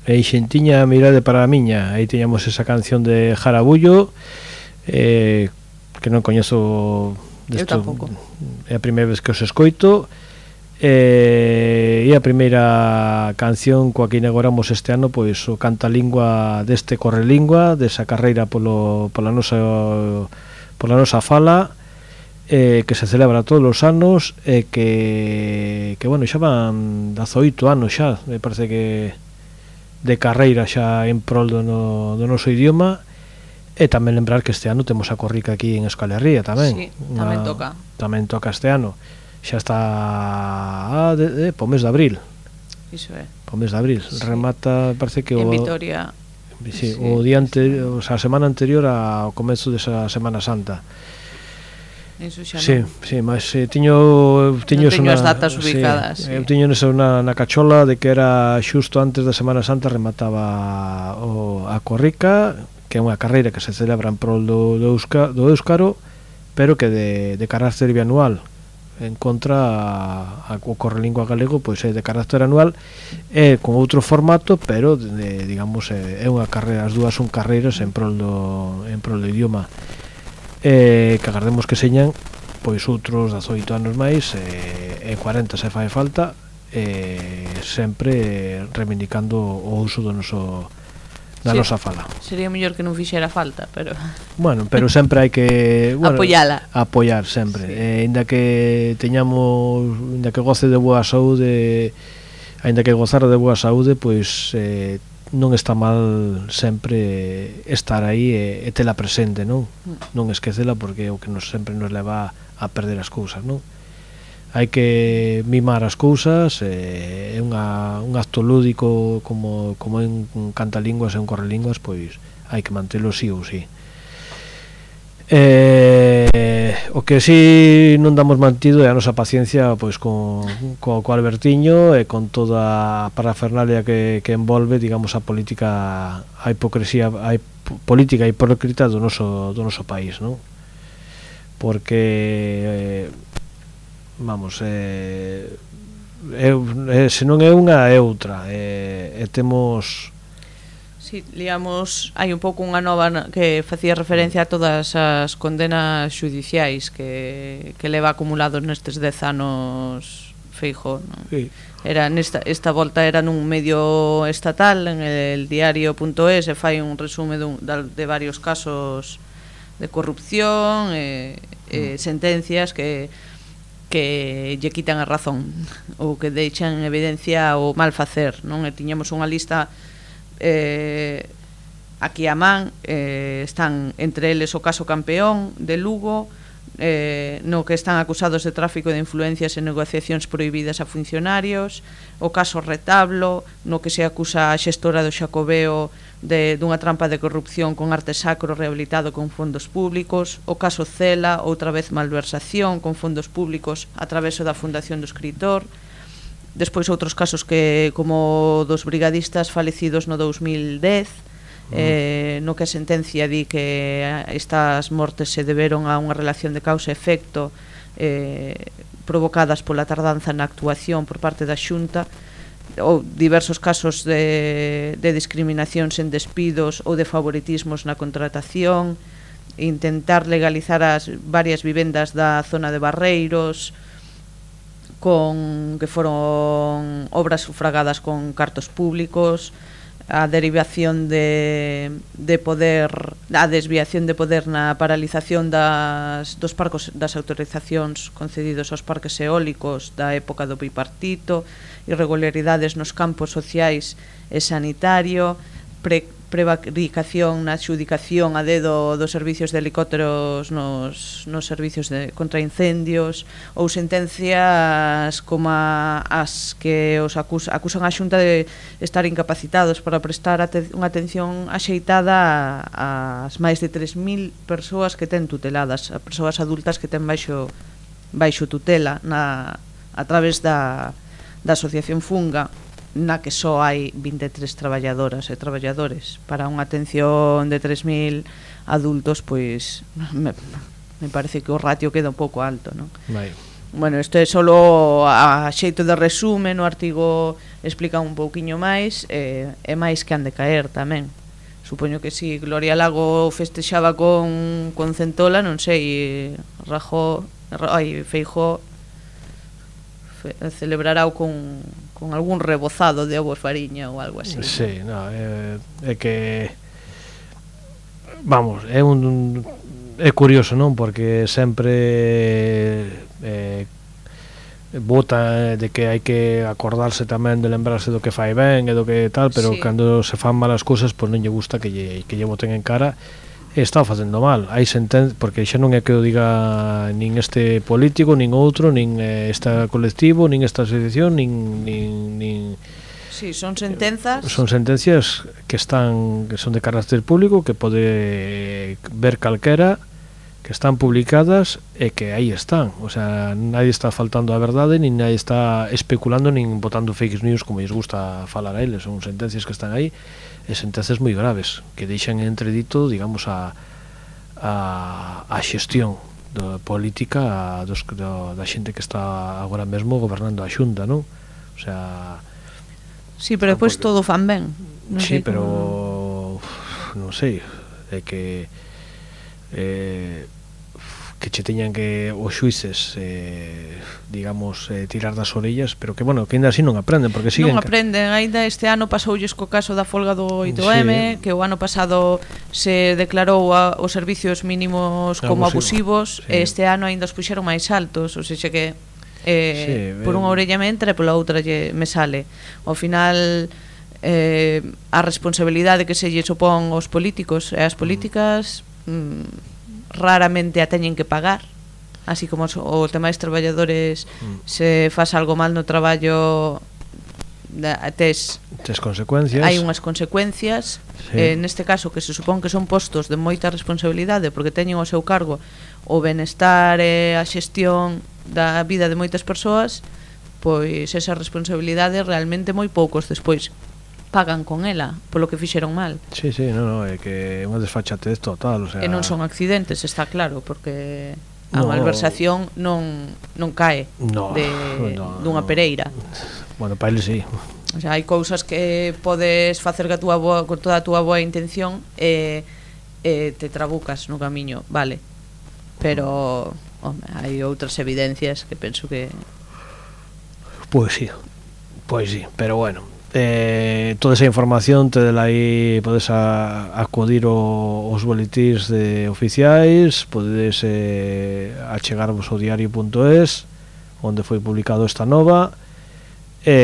e xentiña mirade para a miña. Aí teñamos esa canción de Jarabullo, eh, que non coñezo desto, eu tampouco, é a primeira vez que os escoito, eh, e a primeira canción coa que inauguramos este ano, pois o cantalingua deste Correlingua, desa carreira polo, pola nosa pola nosa fala, eh, que se celebra todos os anos, e eh, que, que bueno, xa van dezaoito anos xa, me parece que de carreira xa en prol do, no, do noso idioma. E tamén lembrar que este ano temos a corrica aquí en Euskal Herria tamén. Sí, tamén Una, toca. Tamén toca este ano. Xa está ah, de, de, po mes de abril. Iso é. Po mes de abril. Sí. Remata, parece que en o, Vitoria. Sí, sí, o día anterior, o sea, a semana anterior ao comezo desa Semana Santa. Eso xa sí, non. Sí, mas eh, tiño tiño non teño as datas ubicadas. Sí, sí. Eu tiño nesa na, na cachola de que era xusto antes da Semana Santa remataba o, a corrica, que é unha carreira que se celebra en prol do, do, Euska, do Éuscaro, pero que de, de carácter bianual. En contra a, a, o Correlingua galego pois é de carácter anual, é con outro formato, pero de, digamos é, é unha carreira, as dúas son carreiras en prol do en prol do idioma. Eh, que agardemos que señan pois outros dezaoito anos máis, e, e cuarenta se fai falta, e sempre reivindicando o uso do noso da sí, nosa fala. Sería mellor que non fixera falta, pero bueno, pero sempre hai que bueno, apoiala. Apoiar sempre. Sí. Eh, ainda que teñamos, ainda que goce de boa saúde, ainda que gozar de boa saúde, pois eh, non está mal sempre estar aí e, e tela presente, non? Mm. Non esquecela, porque é o que nos sempre nos leva a perder as cousas, non? Hai que mimar as cousas, é eh, unha, un acto lúdico como, como en cantalinguas e en correlinguas, pois hai que mantelo sí ou sí. Eh, o que si non damos mantido é a nosa paciencia pois con, con, co Albertiño e con toda a parafernalia que, que envolve, digamos, a política, a hipocresía, a política hipócrita do noso, do noso país, non? Porque... Eh, vamos, eh, é, é, se non é unha é outra, e, e temos si, sí, liamos, hai un pouco unha nova que facía referencia a todas as condenas xudiciais que, que leva acumulados nestes dez anos Feijóo, non? Sí. Era nesta, esta volta era nun medio estatal, en el diario punto es, e fai un resume dun, de varios casos de corrupción e, e sentencias que que lle quitan a razón ou que deixan en evidencia o mal facer, non? E tiñamos unha lista eh, aquí a man, eh, están entre eles o caso Campeón de Lugo, eh, no que están acusados de tráfico de influencias e negociacións prohibidas a funcionarios, o caso Retablo, no que se acusa a xestora do Xacobeo de, dunha trampa de corrupción con arte sacro rehabilitado con fondos públicos, o caso Cela, outra vez malversación con fondos públicos a través da Fundación do Escritor, despois outros casos que como dos brigadistas falecidos no dous mil dez, eh, no que a sentencia di que estas mortes se deberon a unha relación de causa e efecto eh, provocadas pola tardanza na actuación por parte da Xunta, ou diversos casos de, de discriminacións en despidos ou de favoritismos na contratación, intentar legalizar as varias vivendas da zona de Barreiros con que foron obras sufragadas con cartos públicos, a derivación de, de poder, a desviación de poder na paralización das, dos parcos, das autorizacións concedidos aos parques eólicos da época do bipartito, irregularidades nos campos sociais e sanitario, pre, prevaricación na adxudicación a dedo dos servicios de helicópteros nos, nos servicios de contra incendios, ou sentencias como as que os acusa, acusan a Xunta de estar incapacitados para prestar aten, unha atención axeitada ás máis de tres mil persoas que ten tuteladas, a persoas adultas que ten baixo, baixo tutela na, a través da da Asociación Funga, na que só hai vinte e tres traballadoras e traballadores para unha atención de tres mil adultos, pois me, me parece que o ratio queda un pouco alto, non? Vai. bueno, isto é solo a xeito de resume, no artigo explica un pouquiño máis, eh, é máis que han de caer tamén. Supoño que si Gloria Lago festexaba con, con Centola, non sei, Rajo, ai, Feijó fe, celebrará con, con algún rebozado de ovos fariña ou algo así. Sí, no, é, é que vamos, é un é curioso, non? Porque sempre eh, bota de que hai que acordarse tamén de lembrarse do que fai ben e do que tal, pero sí. Cando se fan malas cousas, pois non lle gusta que lle, que lle boten en cara e está facendo mal. Hai senten porque xa non é que o diga nin este político, nin outro, nin eh, esta colectivo, nin esta asociación, nin, nin, nin sí, son sentenzas. Son sentencias que están que son de carácter público, que pode ver calquera, que están publicadas e que aí están, o sea, nadie está faltando a verdade, nin nadie está especulando nin botando fake news como lles gusta falar a eles. Son sentencias que están aí e sentencias moi graves que deixan entredito, digamos, a a, a xestión da política a, dos, do, da xente que está agora mesmo gobernando a Xunta, non? O sea, sí, pero depois porque... todo fan ben, non sí, sei pero como... non sei, é que eh que che teñan que os xuíces eh, digamos eh, tirar das orellas, pero que bueno, que ainda así non aprenden porque siguen non aprenden, ainda este ano pasoulles co caso da folga do oito eme, sí. Que o ano pasado se declarou a, os servicios mínimos como Abusivo. abusivos, sí. E este ano ainda os puxeron máis altos, ou seja que eh, sí, por unha orella me entra e pola outra lle, me sale ao final eh, a responsabilidade que se lle supón aos políticos e as políticas mm, raramente a teñen que pagar, así como o tema dos traballadores mm. se faz algo mal no traballo tes, tes consecuencias, hai unhas consecuencias, sí. eh, neste caso que se supón que son postos de moita responsabilidade porque teñen ao seu cargo o benestar e a xestión da vida de moitas persoas, pois esa responsabilidade realmente moi poucos despois pagan con ela polo que fixeron mal. Sí, sí, no, no, é que é unha desfachatez total, o sea... E non son accidentes, está claro, porque a no, malversación non non cae no, de no, dunha no. pereira. Bueno, para ele sí. O sea, hai cousas que podes facer ca túa boa, con toda a túa boa intención e, e te trabucas no camiño, vale. Pero, home, hai outras evidencias que penso que... Pois sí, pois sí, pero bueno... Eh, toda esa información te dela aí, podes a, acudir o, os boletíns de oficiais, podedes eh, achegarvos ao diario punto es onde foi publicado esta nova e,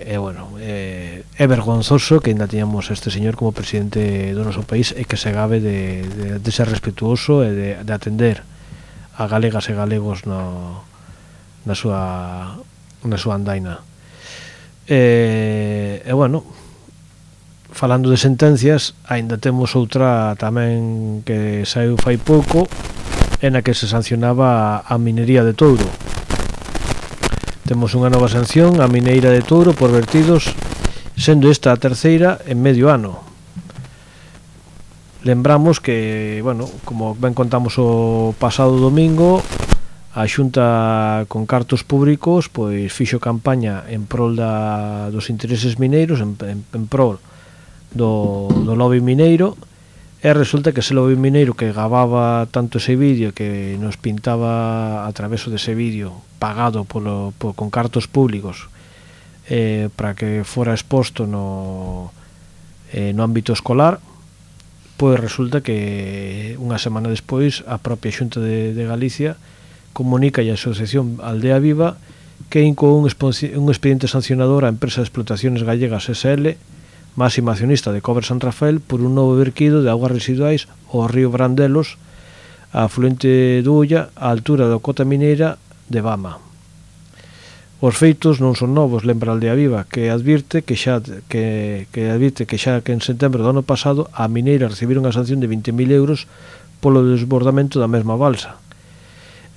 e bueno eh, é vergonzoso que ainda teñamos este señor como presidente do noso país e que se gabe de, de, de ser respetuoso e de, de atender a galegas e galegos no, na súa na súa andaina. E, e bueno, falando de sentencias, aínda temos outra tamén que saiu fai pouco, en a que se sancionaba a minería de Touro. Temos unha nova sanción a mineira de Touro por vertidos, sendo esta a terceira en medio ano. Lembramos que, bueno, como ben contamos o pasado domingo, a Xunta con cartos públicos pois fixo campaña en prol da, dos intereses mineiros, en, en, en prol do, do lobby mineiro, e resulta que ese lobby mineiro que gababa tanto ese vídeo, que nos pintaba a través dese vídeo pagado polo, por, con cartos públicos eh, para que fora exposto no, eh, no ámbito escolar, pois resulta que unha semana despois a propia Xunta de, de Galicia comunica a Asociación Aldea Viva que incou un, un expediente sancionador á empresa de explotaciones gallegas ese ele, máxima accionista de Cobre San Rafael, por un novo verquido de augas residuais ao río Brandelos, a afluente do Ulla, á altura da cota mineira de Bama. Os feitos non son novos, lembra Aldea Viva, que advirte que xa que, que advirte que xa que en setembro do ano pasado a mineira recibiron unha sanción de vinte mil euros polo desbordamento da mesma balsa.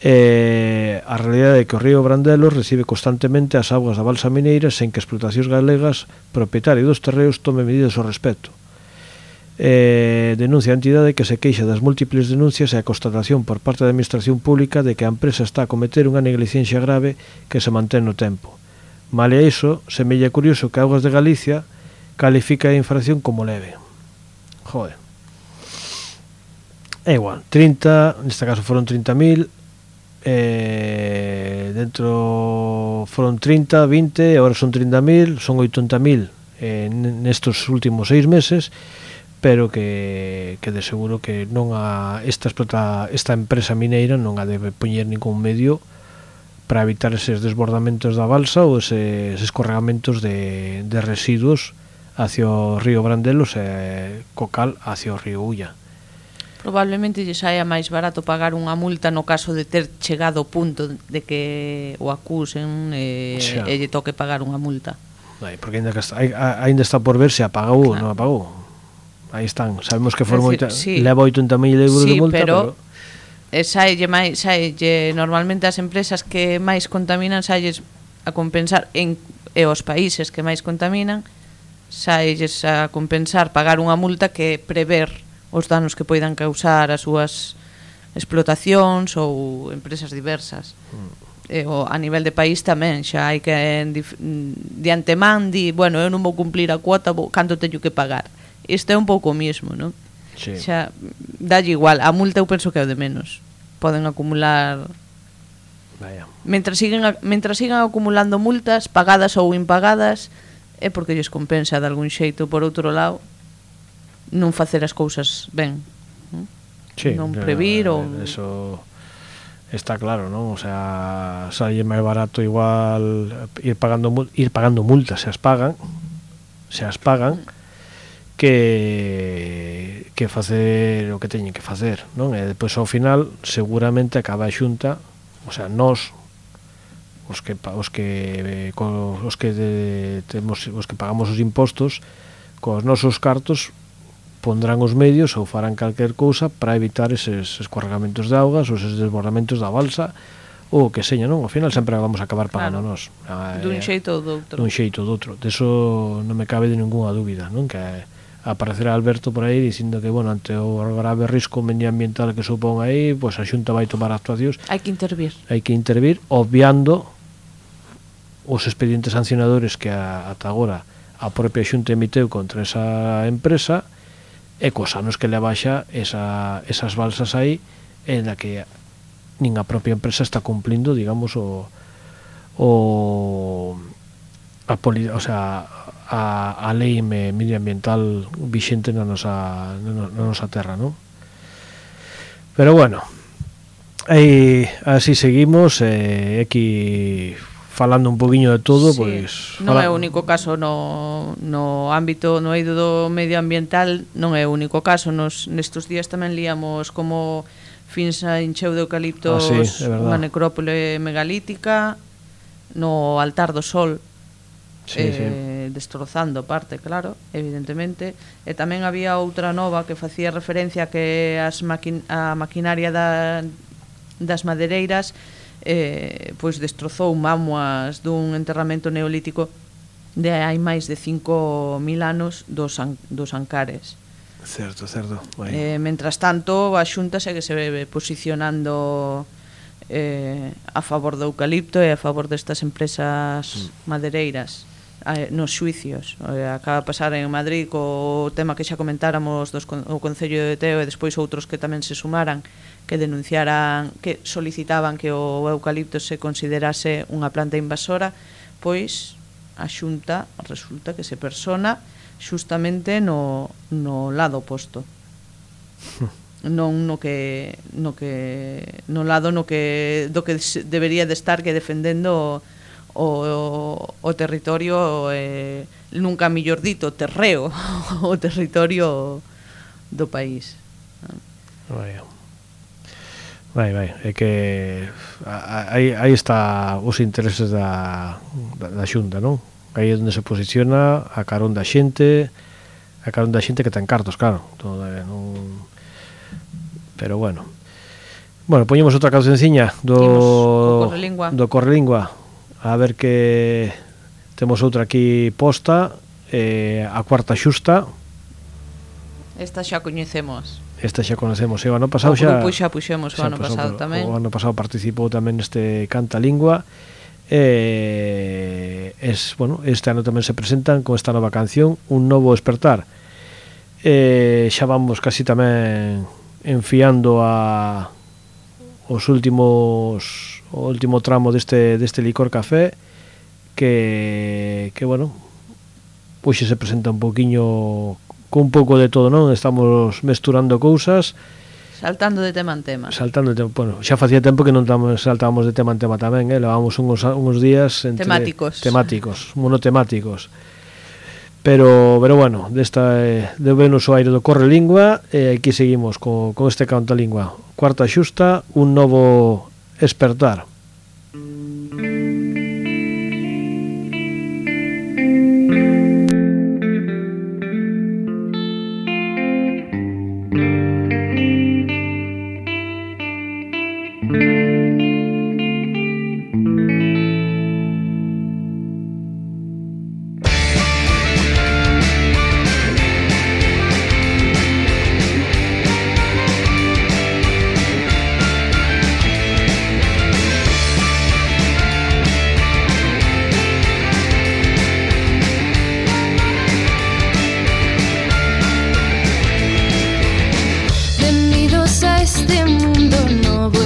Eh, a realidade é que o río Brandelos recibe constantemente as augas da balsa mineira sen que explotacións galegas propietarias dos terreos tome medidas ao respecto. eh, denuncia a entidade que se queixa das múltiples denuncias e a constatación por parte da administración pública de que a empresa está a cometer unha negligencia grave que se mantén no tempo. Male a iso, semella curioso que Augas de Galicia califica a infracción como leve. Joder. É igual, trinta, neste caso foron trinta mil, eh, dentro foron trinta, vinte, agora son trinta mil, son oitenta mil eh, nestos últimos seis meses, pero que, que de seguro que non a esta, explota, esta empresa mineira non a debe poñer ningún medio para evitar eses desbordamentos da balsa ou eses escorregamentos de, de residuos hacia o río Brandelos e Cocal hacia o río Ulla. Probablemente lle saia máis barato pagar unha multa no caso de ter chegado ao punto de que o acusen e, e lle toque pagar unha multa. Ai, porque ainda, está, ainda está por ver se apagou ou non apagou. Aí están, sabemos que foron decir, oita, sí. leva oitenta mil euros sí, de multa, pero, pero... saelle máis, saelle normalmente as empresas que máis contaminan saelles a compensar en, e os países que máis contaminan saelles a compensar pagar unha multa que prever os danos que poidan causar as súas explotacións ou empresas diversas. Mm. E, o, a nivel de país tamén xa hai que en, de antemán di, bueno, eu non vou cumplir a cuota, vou, canto teño que pagar. Isto é un pouco o mismo, non? Sí. Xa, dalle igual, a multa eu penso que é o de menos. Poden acumular... Vaya. Mentras siguen, mentras sigan acumulando multas, pagadas ou impagadas, é porque lles compensa de algún xeito. Por outro lado, non facer as cousas ben. Non, sí, non previr ou... Eso está claro, non? O sea, salle máis barato igual ir pagando, ir pagando multas, se as pagan, se as pagan, que que facer o que teñen que facer, non? E depois ao final seguramente acaba a Xunta, o sea, nós os que os que os que de, temos os que pagamos os impostos cos nosos cartos pondrán os medios ou farán calquer cousa para evitar eses escorregamentos de augas ou eses desbordamentos da balsa ou que seña, non? Ao final sempre vamos a acabar pagando claro. nós. Dun xeito ou doutro. Dun xeito ou doutro. De eso non me cabe de ninguna dúbida, non? Que aparecerá Alberto por aí dicindo que, bueno, ante o grave risco medioambiental que supón aí, pois pues a Xunta vai tomar actuacións. Hai que intervir. Hai que intervir, obviando os expedientes sancionadores que a, ata agora a propia Xunta emiteu contra esa empresa e cos anos que le abaixa esa, esas balsas aí en la que nin a propia empresa está cumplindo, digamos, o o a poli, o sea, a, a lei medioambiental vixente na nosa, na nosa terra, non? Pero bueno, aí así seguimos, eh, aquí falando un poquinho de todo, sí, pois non fala... é o único caso no, no ámbito, no eido do medioambiental, non é o único caso. Nos nestes días tamén líamos como Finsa encheu de eucaliptos ah, sí, unha necrópole megalítica no Altar do Sol. Sí, eh, sí. Destrozando parte, claro, evidentemente. E tamén había outra nova que facía referencia que as maquin a maquinaria da, das madereiras eh, pois destrozou mámoas dun enterramento neolítico de hai máis de cinco mil anos dos, an dos Ancares. Certo, certo. Eh, mentras tanto, a Xunta segue se posicionando eh, a favor do eucalipto e a favor destas empresas mm. madereiras nos xuicios. Acaba de pasar en Madrid co tema que xa comentáramos dos, o Concello de Teo e despois outros que tamén se sumaran, que denunciaran, que solicitaban que o eucalipto se considerase unha planta invasora. Pois a Xunta resulta que se persona xustamente no, no lado oposto, non no que no que no lado no que do que debería de estar, que defendendo o, o, o territorio, eh, nunca mellor dito, terreo, o territorio do país. Vai, vai, vai. É que aí, aí está os intereses da, da, da Xunta, non? Aí é onde se posiciona a carón da xente, a carón da xente que ten cartos, claro. Todo, eh, non... Pero bueno. Bueno, poñemos outra cancionciña do Correlingua. do Correlingua. A ver que temos outra aquí posta, eh, a cuarta xusta. Esta xa coñecemos. Esta xa conocemos, e o ano pasado xa... O grupo xa puxemos o ano pasado tamén. O ano pasado participou tamén neste Canta Lingua. Eh, es, bueno, este ano tamén se presentan con esta nova canción, Un Novo Despertar. Eh, xa vamos casi tamén enfiando a os últimos o último tramo deste, deste licor café que, que bueno, pois se presenta un poquinho con un pouco de todo, non? Estamos mesturando cousas, saltando de tema en tema. Saltando de tema, bueno, xa facía tempo que non tamos, saltábamos de tema en tema tamén, eh? Levábamos uns, uns días entre temáticos, temáticos, monotemáticos. Pero, pero bueno, desta eh, de Venus o aire do Corre Lingua, e eh, aquí seguimos con, con este Canta Lingua. Cuarta xusta, Un Novo Despertar.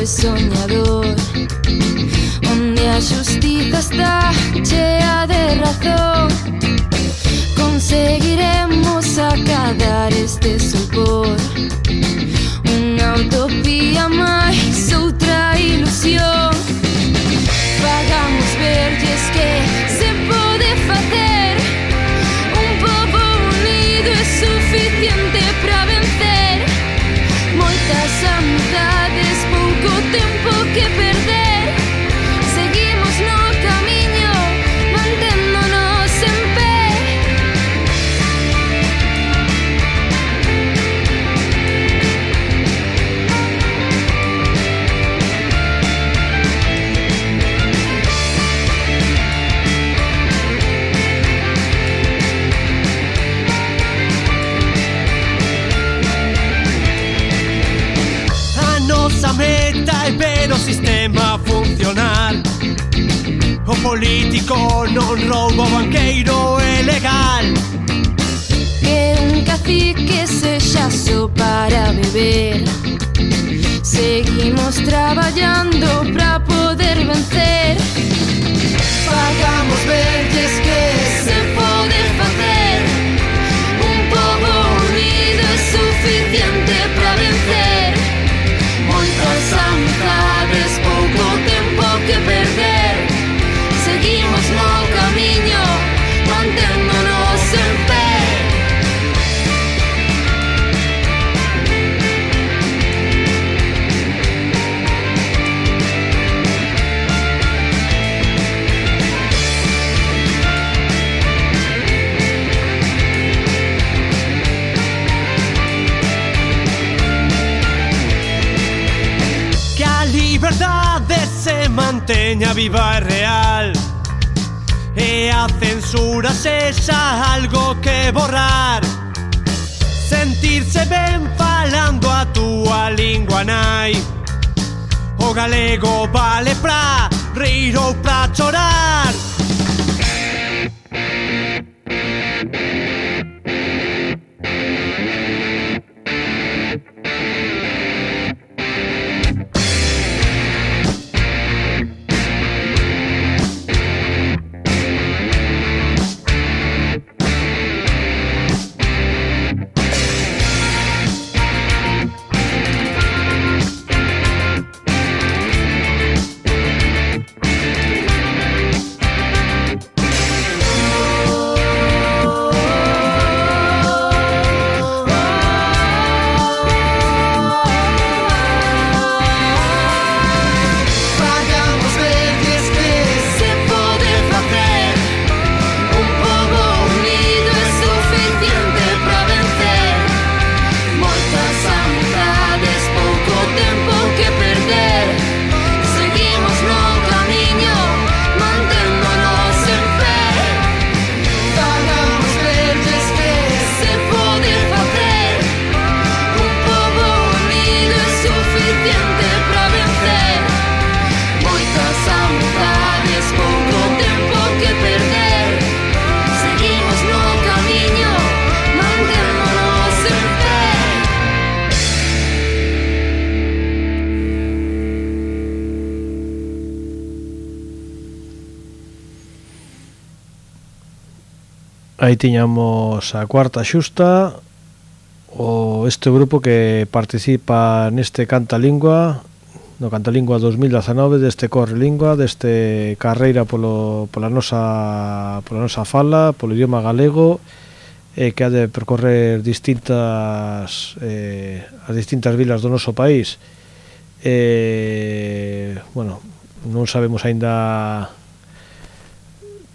Soñador, onde a xustiza está chea de razón, conseguiremos acadar este sopor, unha utopía máis, outra ilusión. Fagamos verlles que se pode facer, un pobo unido é suficiente para vencer, moitas amizades, pouco tempo que perder, seguimos no camiño, manténdonos en pé. A nosa meta é ver o sistema funcionar, o político non rouba, o banqueiro é legal, que un cacique sexa só para beber, seguimos traballando para poder vencer. Fagamos verlles que se pode facer, un pobo unido é suficiente para vencer, moitas amizades, pouco tempo que perder, seguimos no camiño, manténdonos en pé. que a liberdade se manteña viva e real, e a censura sexa algo que borrar, sentirse ben falando a túa lingua nai, o galego vale pra rir ou pra chorar. Aí tiñamos a cuarta xusta, o este grupo que participa neste Cantalingua, no Cantalingua dos mil dezanove, deste Correlingua, deste carreira polo, pola, nosa, pola nosa fala, polo idioma galego, eh, que ha de percorrer distintas eh, as distintas vilas do noso país. Eh, bueno, non sabemos aínda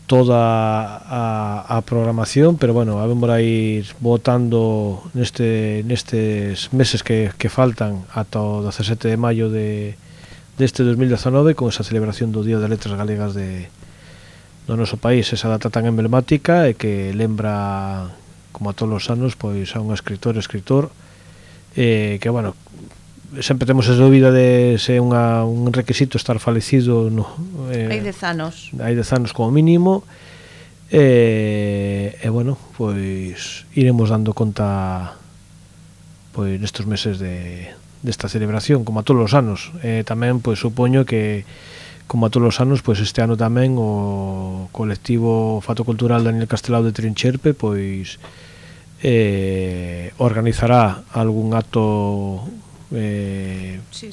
toda a, a programación, pero bueno, habemos a ir votando neste, nestes meses que, que faltan ata o dezasete de maio de, deste dos mil dezanove, con esa celebración do Día das Letras Galegas de, do noso país, esa data tan emblemática e que lembra, como a todos os anos, pois a un escritor escritor eh, que, bueno, sempre temos esa dúbida de se é unha, un requisito estar falecido, no, eh, hai dez anos hai dez anos como mínimo, e, e bueno, pois iremos dando conta pois nestes meses de desta celebración, como a todos os anos. E tamén pois supoño que como a todos os anos, pois este ano tamén o colectivo Fato Cultural Daniel Castelao de Trincherpe pois eh, organizará algún acto eh, sí,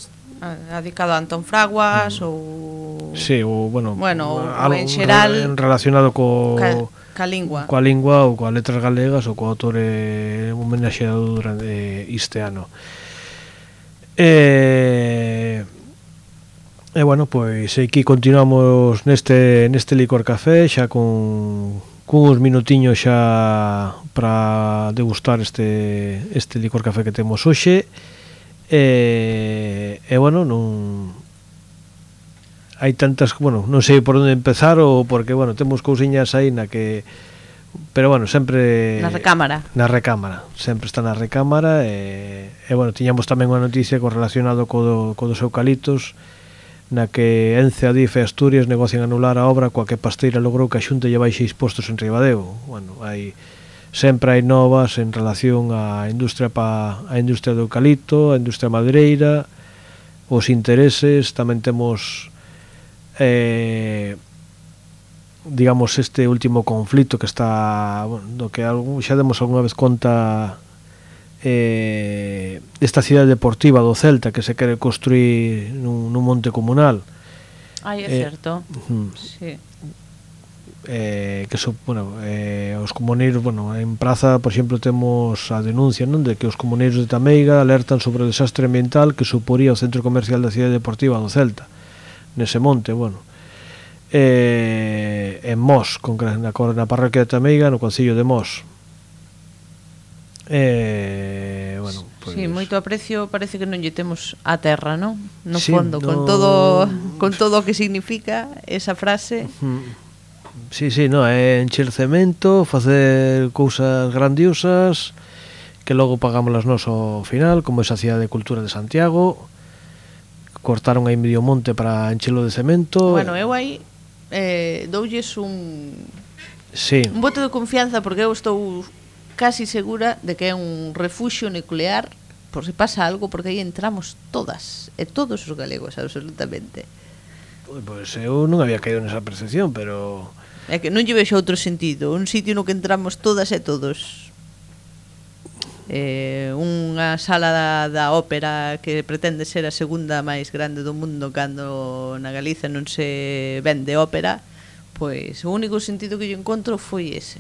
dedicado a Antón Fraguas mm. ou sí, ou bueno, bueno algo en xeral relacionado co ca, ca lingua coa lingua ou coas letras galegas ou co autor eh, homenaxeado durante este ano. E E bueno, pois aquí continuamos neste neste Licor Café xa con cuns minutiños xa para degustar este este Licor Café que temos hoxe. E, e bueno, non hai tantas, bueno, non sei por onde empezar ou porque, bueno, temos cousiñas aí na que, pero bueno, sempre na recámara. Na recámara, sempre está na recámara e, e bueno, tiñamos tamén unha noticia correlacionado co do, co dos eucaliptos, na que Ence, Adif e Asturias negocian anular a obra coa que Pasteira logrou que a Xunta lle baixe impostos en Ribadeo. Bueno, hai sempre hai novas en relación á industria pa, a industria do eucalipto, a industria madeireira, os intereses, tamén temos eh, digamos este último conflito que está, bueno, do que algún, xa demos algunha vez conta eh, esta cidade deportiva do Celta que se quere construir nun, nun monte comunal. Ai, é eh, certo. Uh, sí. Eh, que so, bueno, eh, os comuneiros, bueno, en Praza, por exemplo, temos a denuncia, non, de que os comuneiros de Tameiga alertan sobre o desastre ambiental que suporía o centro comercial da cidade deportiva do Celta nese monte, bueno. Eh, en Mos, con, na, na parroquia de Tameiga, no concello de Mos. Eh, bueno, pues... Sí, moito aprecio, parece que non lle temos a terra, non? No sí, fondo, no... con todo con todo o que significa esa frase. Uh-huh. Sí, sí, no, é encher cemento, facer cousas grandiosas que logo pagámoslas nós ao final, como esa cidade de cultura de Santiago. Cortaron aí medio monte para enchelo de cemento. Bueno, eu aí eh, doulles un sí. un voto de confianza, porque eu estou casi segura de que é un refuxio nuclear por se pasa algo, porque aí entramos todas e todos os galegos, absolutamente. Pois eu non había caído nesa percepción, pero é que non lle vexo outro sentido, un sitio no que entramos todas e todos. Eh, unha sala da, da ópera que pretende ser a segunda máis grande do mundo cando na Galiza non se vende ópera, pois o único sentido que yo encontro foi ese.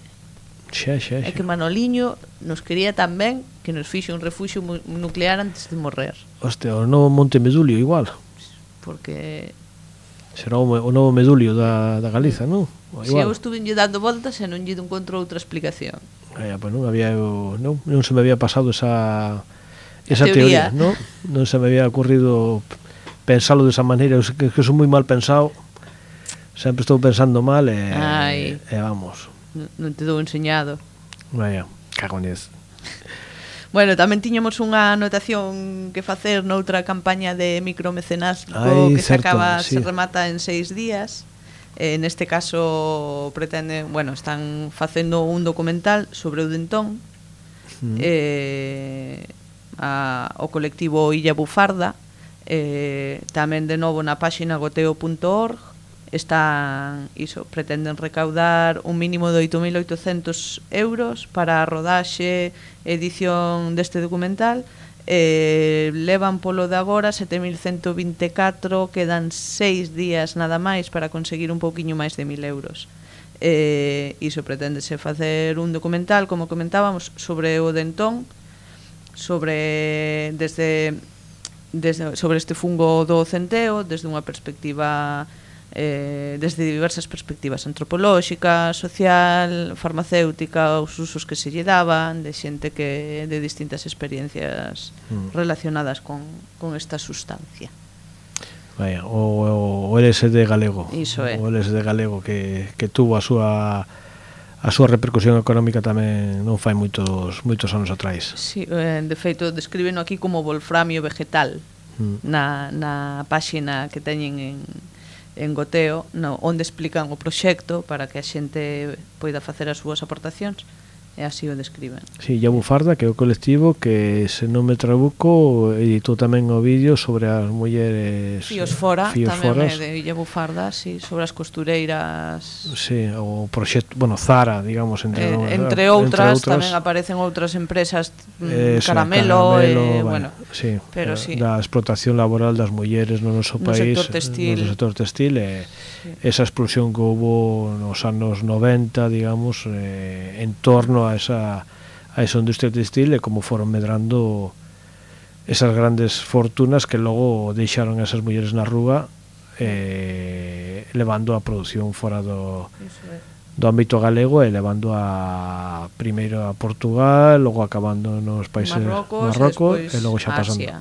Xa, xa, xa. É que Manoliño nos quería tan ben que nos fixe un refuxio nuclear antes de morrer. Hostia, o novo Monte Medulio igual. Porque será o, o novo Medulio da, da Galiza, non? Si eu estuve lle dando voltas e non lle encontro outra explicación. Eh, pues non había eu, non, non se me había pasado esa esa teoría, teoría non? Non se me había ocurrido pensalo desa maneira, que, que son moi mal pensado. Sempre estou pensando mal e, Ai, e vamos. Non te dou enseñado. Vaya, cago en Dios. Bueno, tamén tiñamos unha anotación que facer noutra campaña de micromecenazgo que se certo, acaba, sí. se remata en seis días. Eh, neste caso pretende, bueno, están facendo un documental sobre o Dentón, mm. eh, a, o colectivo Illa Bufarda, eh, tamén de novo na páxina goteo punto org, están, iso, pretenden recaudar un mínimo de oito mil oitocentos euros para a rodaxe e edición deste documental. Eh, levan polo de agora sete mil cento vinte e catro, quedan seis días nada máis para conseguir un pouquiño máis de mil euros. Eh, iso preténdese facer un documental, como comentábamos, sobre o dentón, sobre desde, desde sobre este fungo do centeo desde unha perspectiva eh, desde diversas perspectivas antropolóxica, social, farmacéutica, os usos que se lle daban, de xente que de distintas experiencias mm. relacionadas con, con esta sustancia. Vaya, o, o L S D galego. Iso é. O L S D galego que, que tuvo a súa a súa repercusión económica tamén non fai moitos moitos anos atrás. Sí, eh, de feito descríbeno aquí como wolframio vegetal mm. na, na páxina que teñen en en Goteo, no, onde explican o proxecto para que a xente poida facer as súas aportacións, e así o describen. Sí, Llavu Farda, que é o colectivo que, se non me trabuco, editou tamén o vídeo sobre as mulleres Fíos Fora, Fíos tamén Foras. é de Llavu Farda, sí, sobre as costureiras. Sí, o proxecto, bueno, Zara, digamos, entre, eh, entre, outras, entre outras, tamén aparecen outras empresas, mm, esa, Caramelo, Caramelo eh, bueno, bueno, sí, pero eh, sí. Da explotación laboral das mulleres no noso no país, sector textil. no sector textil, e sí. Esa explosión que houve nos anos noventa, digamos, eh, en torno a esa a esa industria textil, e como foron medrando esas grandes fortunas que logo deixaron esas mulleres na rúa, eh, levando a produción fora do, do ámbito galego e levando a primeiro a Portugal, logo acabando nos países Marrocos, Marrocos e, e logo xa pasando Asia.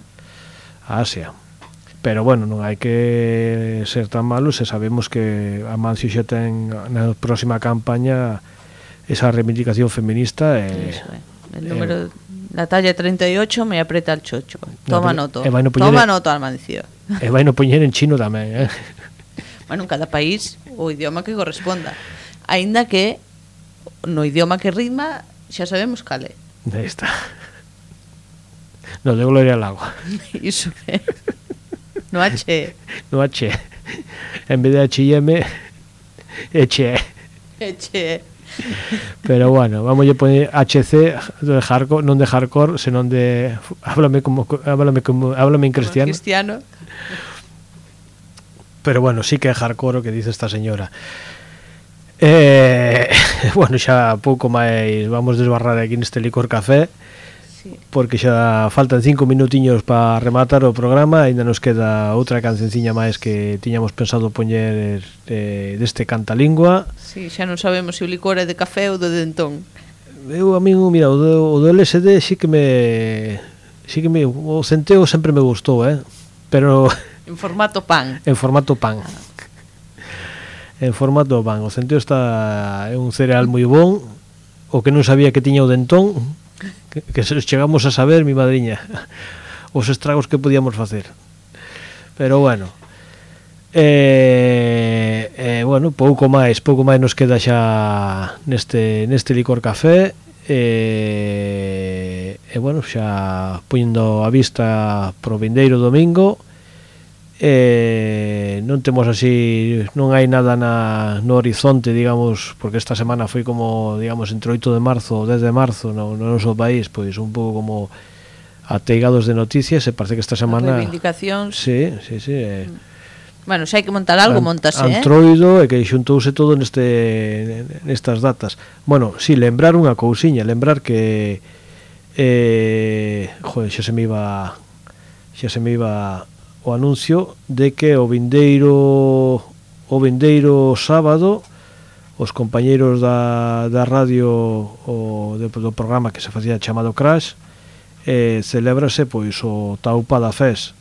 a Asia. Pero bueno, non hai que ser tan malos, e sabemos que Amancio xa ten na próxima campaña esa reivindicación feminista. E, Eso, eh. El número, eh, la talla treinta y ocho me aprieta el chocho. Toma no, noto. en, Toma noto, Amancio. E vai no poñer en chino tamén, eh? Bueno, en cada país o idioma que corresponda. Aínda que no idioma que ritma xa sabemos cal é. Aí está. No, de Gloria al agua. Iso é. No H. No H. En vez de H I M, H. H. Pero bueno, vamos a poner H C de hardcore, non de hardcore, senón de háblame como háblame como háblame en cristiano. cristiano. Pero bueno, sí que é hardcore o que dice esta señora. Eh, bueno, xa pouco máis vamos desbarrar aquí neste licor café. Sí. Porque xa faltan cinco minutiños para rematar o programa. Ainda nos queda outra cancenciña máis que tiñamos pensado poñer eh, deste Cantalingua. Sí, xa non sabemos se o licor é de café ou de dentón. Eu, a mí, mira, o do, o do L S D sí que me sí que me o centeo sempre me gustou, eh? Pero en formato pan. En formato pan. Ah. En formato pan. O centeo está é un cereal moi bon. O que non sabía que tiña o dentón, que, que chegamos a saber, mi madriña, os estragos que podíamos facer. Pero bueno, eh, eh, bueno, pouco máis, pouco máis nos queda xa neste neste licor café. E, e bueno, xa poñendo a vista pro vindeiro domingo. Eh, non temos así, non hai nada na, no horizonte, digamos, porque esta semana foi como, digamos, entre oito de marzo ou dez de marzo no, no noso país, pois un pouco como ateigados de noticias, e parece que esta semana reivindicacións. Sí, sí, sí. Eh, bueno, se hai que montar algo, montase, eh? Antroido, e que xuntouse todo neste nestas datas. Bueno, si, sí, lembrar unha cousiña, lembrar que eh, joder, xa se me iba xa se me iba o anuncio de que o vindeiro o vindeiro sábado os compañeiros da, da radio o de, do programa que se facía chamado Crash, eh, celébrase pois o Taupada Fest.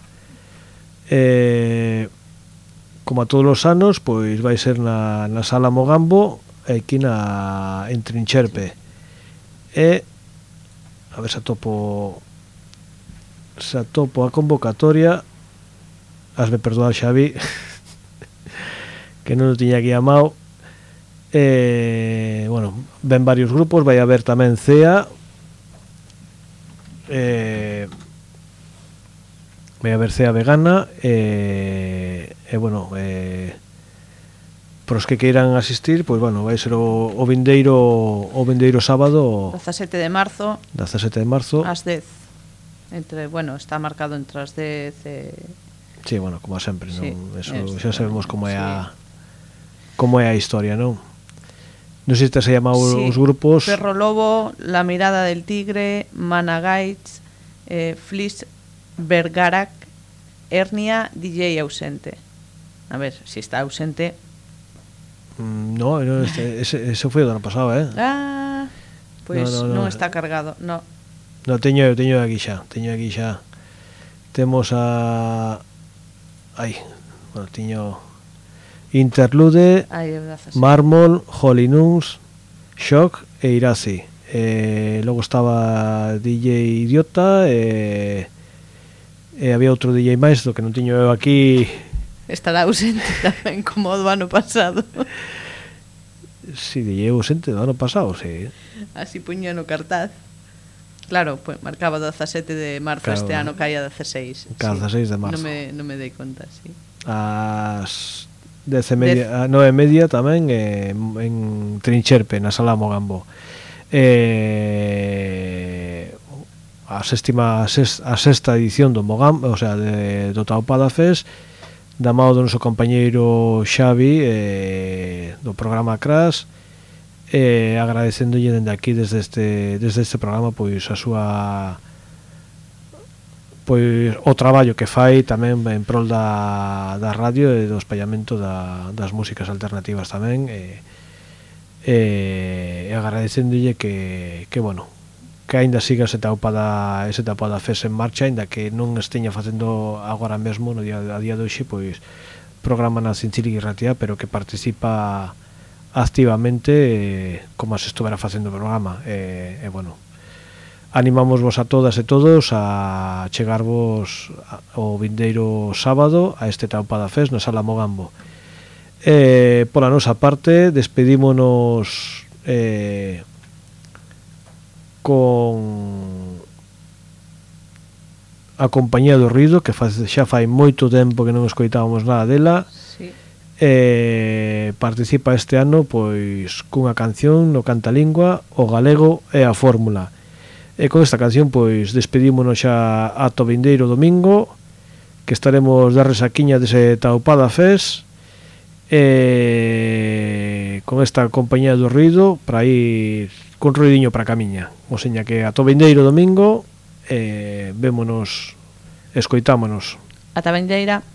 Eh, como a todos os anos, pois vai ser na, na Sala Mogambo, aquí na en Trincherpe. E a ver se atopo se atopo a convocatoria. Hasme perdoar, Xavi, que non o tiña aquí amado. Eh, bueno, ven varios grupos, vai haber tamén C E A, eh, vai haber C E A vegana, e, eh, eh, bueno, eh, pros que queiran asistir, pois bueno, vai ser o, o vindeiro o vindeiro sábado dezasete de marzo dezasete de marzo ás dez. Entre, bueno, está marcado entre as dez e... Sí, bueno, como sempre, sí, non? Eso, eso, xa sabemos como é sí. a como é a historia, non? Non sei se te se chamado sí. os grupos Perro Lobo, La Mirada del Tigre, Managaits, eh, Flis Bergarac, Hernia, D J ausente. A ver, si está ausente. mm, No, no este, ese, ese foi o do ano pasado, eh? Ah, pois pues no, no, no. non está cargado, no. No, teño, teño aquí xa, teño aquí xa. Temos a... Ai, bueno, teño... Interlude, Ay, Mármol, Holinuns, Shock e Irasi. Eh, logo estaba D J Idiota e, e había outro D J máis do que non teño eu aquí. Estará ausente tamén como o do ano pasado. Si, D J ausente do ano pasado, si. Así puña no cartaz. Claro, pues marcaba dezasete de marzo, claro, este ano caía dezasseis. Cada sí. dezasseis de marzo. Non me, non me dei conta, sí. As dez e media, a nove e media tamén eh, en Trincherpe, na Sala Mogambo. Eh, a sextima a, sex, a sexta edición do Mogambo, o sea, de, do Taupada Fest, da mao do noso compañeiro Xavi eh, do programa Crash. Eh, agradecendolle dende aquí desde este desde este programa pois a súa pois o traballo que fai tamén en prol da, da radio e do espallamento da, das músicas alternativas tamén e, e, e agradecendolle que, que bueno que aínda siga ese Taupada ese Taupada Fest en marcha, aínda que non esteña facendo agora mesmo no día, a día de hoxe pois programa na Cinchiri Ratia, pero que participa activamente eh, como se estuvera facendo o programa e, eh, eh, bueno, animamos vos a todas e todos a chegarvos o vindeiro sábado a este Taupada Fest na Sala Mogambo. Eh, pola nosa parte despedímonos eh, con a Compañía do Ruido, que fa, xa fai moito tempo que non escoitábamos nada dela. Sí. Eh, participa este ano pois cunha canción no Cantalingua, o galego e a fórmula. E con esta canción pois despedímonos xa ata o vindeiro domingo, que estaremos de resaquiña dese Taupada Fest e con esta Compañía do Ruido para ir con ruidiño para camiña. O seña que ata o vindeiro domingo eh, vémonos, escoitámonos. Ata a vindeira.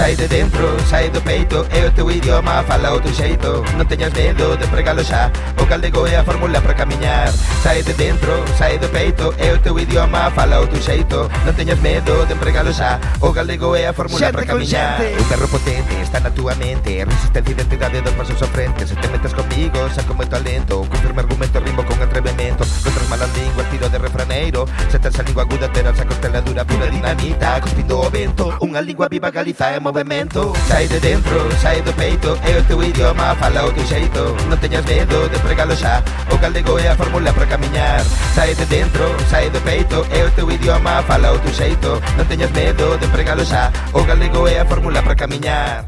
Sai de dentro, sai do peito, é o teu idioma, fala o teu xeito. Non teñas medo de pregalo xa, o galego é a fórmula para camiñar. Sai de dentro, sai do peito, é o teu idioma, fala o teu xeito. Non teñas medo de pregalo xa, o galego é a fórmula para camiñar. Un perro potente está na túa mente, resistencia e identidade dos pasos ao frente. Se te metes comigo, saco moito alento, con firme argumento, rimo con atrevemento. Contra as malas linguas, tiro de refraneiro. Se tes a lingua aguda, terás a costeladura pura dinamita. Cuspindo o vento, unha lingua viva Galiza é movimento. Sai de dentro, sai do peito, é o teu idioma, fala o teu xeito. Non teñas medo de pregalo xa, o galego é a fórmula para camiñar. Sai de dentro, sai do peito, é o teu idioma, fala o teu xeito. Non teñas medo de pregalo xa, o galego é a fórmula para camiñar.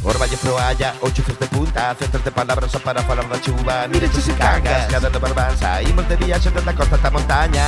Orballe proalla, ocho fios de punta, centros de palabras só para falar da chuva. Mire se cagas, cada no barbanza, imos de viaxe desde a costa ata a montaña.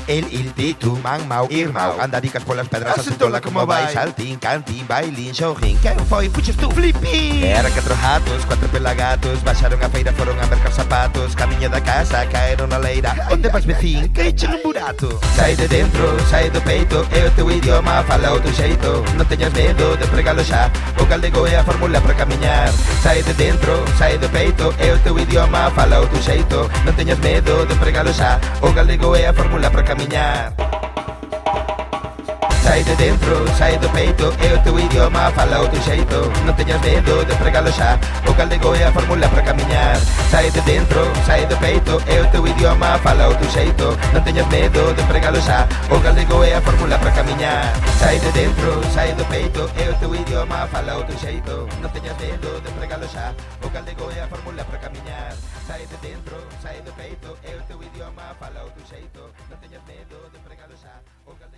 El, il, ti, tu, man, mau, irmão. Andaricas polas pedras, asentola como vai. Saltín, cantín, bailín, xorrín. Quen foi, puxes tú, flipín. Eran catro ratos, cuatro pelagatos. Baixaron a feira, foron a mercar zapatos. Camiño da casa, caeron na leira. Onde vas, vecín? Que echen un burato. Sai de dentro, sai do peito, é o teu idioma, fala o teu xeito. Non teñas medo de pregalo xa, o galego é a fórmula para camiñar. Sai de dentro, sai do peito, é o teu idioma, fala o teu xeito. Non teñas medo de pregalo xa, o galego é a fórmula para camiñar. Sai de dentro, sai do peito, é o teu idioma, fala o teu xeito. Non teñas medo de pregalo xa, o galego é a fórmula para camiñar. Sai de dentro, sai do peito, é o teu idioma, fala o teu xeito. Non teñas medo de empregalo xa, o galego é a fórmula para camiñar. Sai de dentro, sai do peito, é o teu idioma, fala o teu xeito. Non teñas medo de empregalo xa, o galego é a fórmula para camiñar. Sai de dentro, sai do peito, é o teu idioma, fala o teu xeito. Non teñas medo de empregalo xa, o galego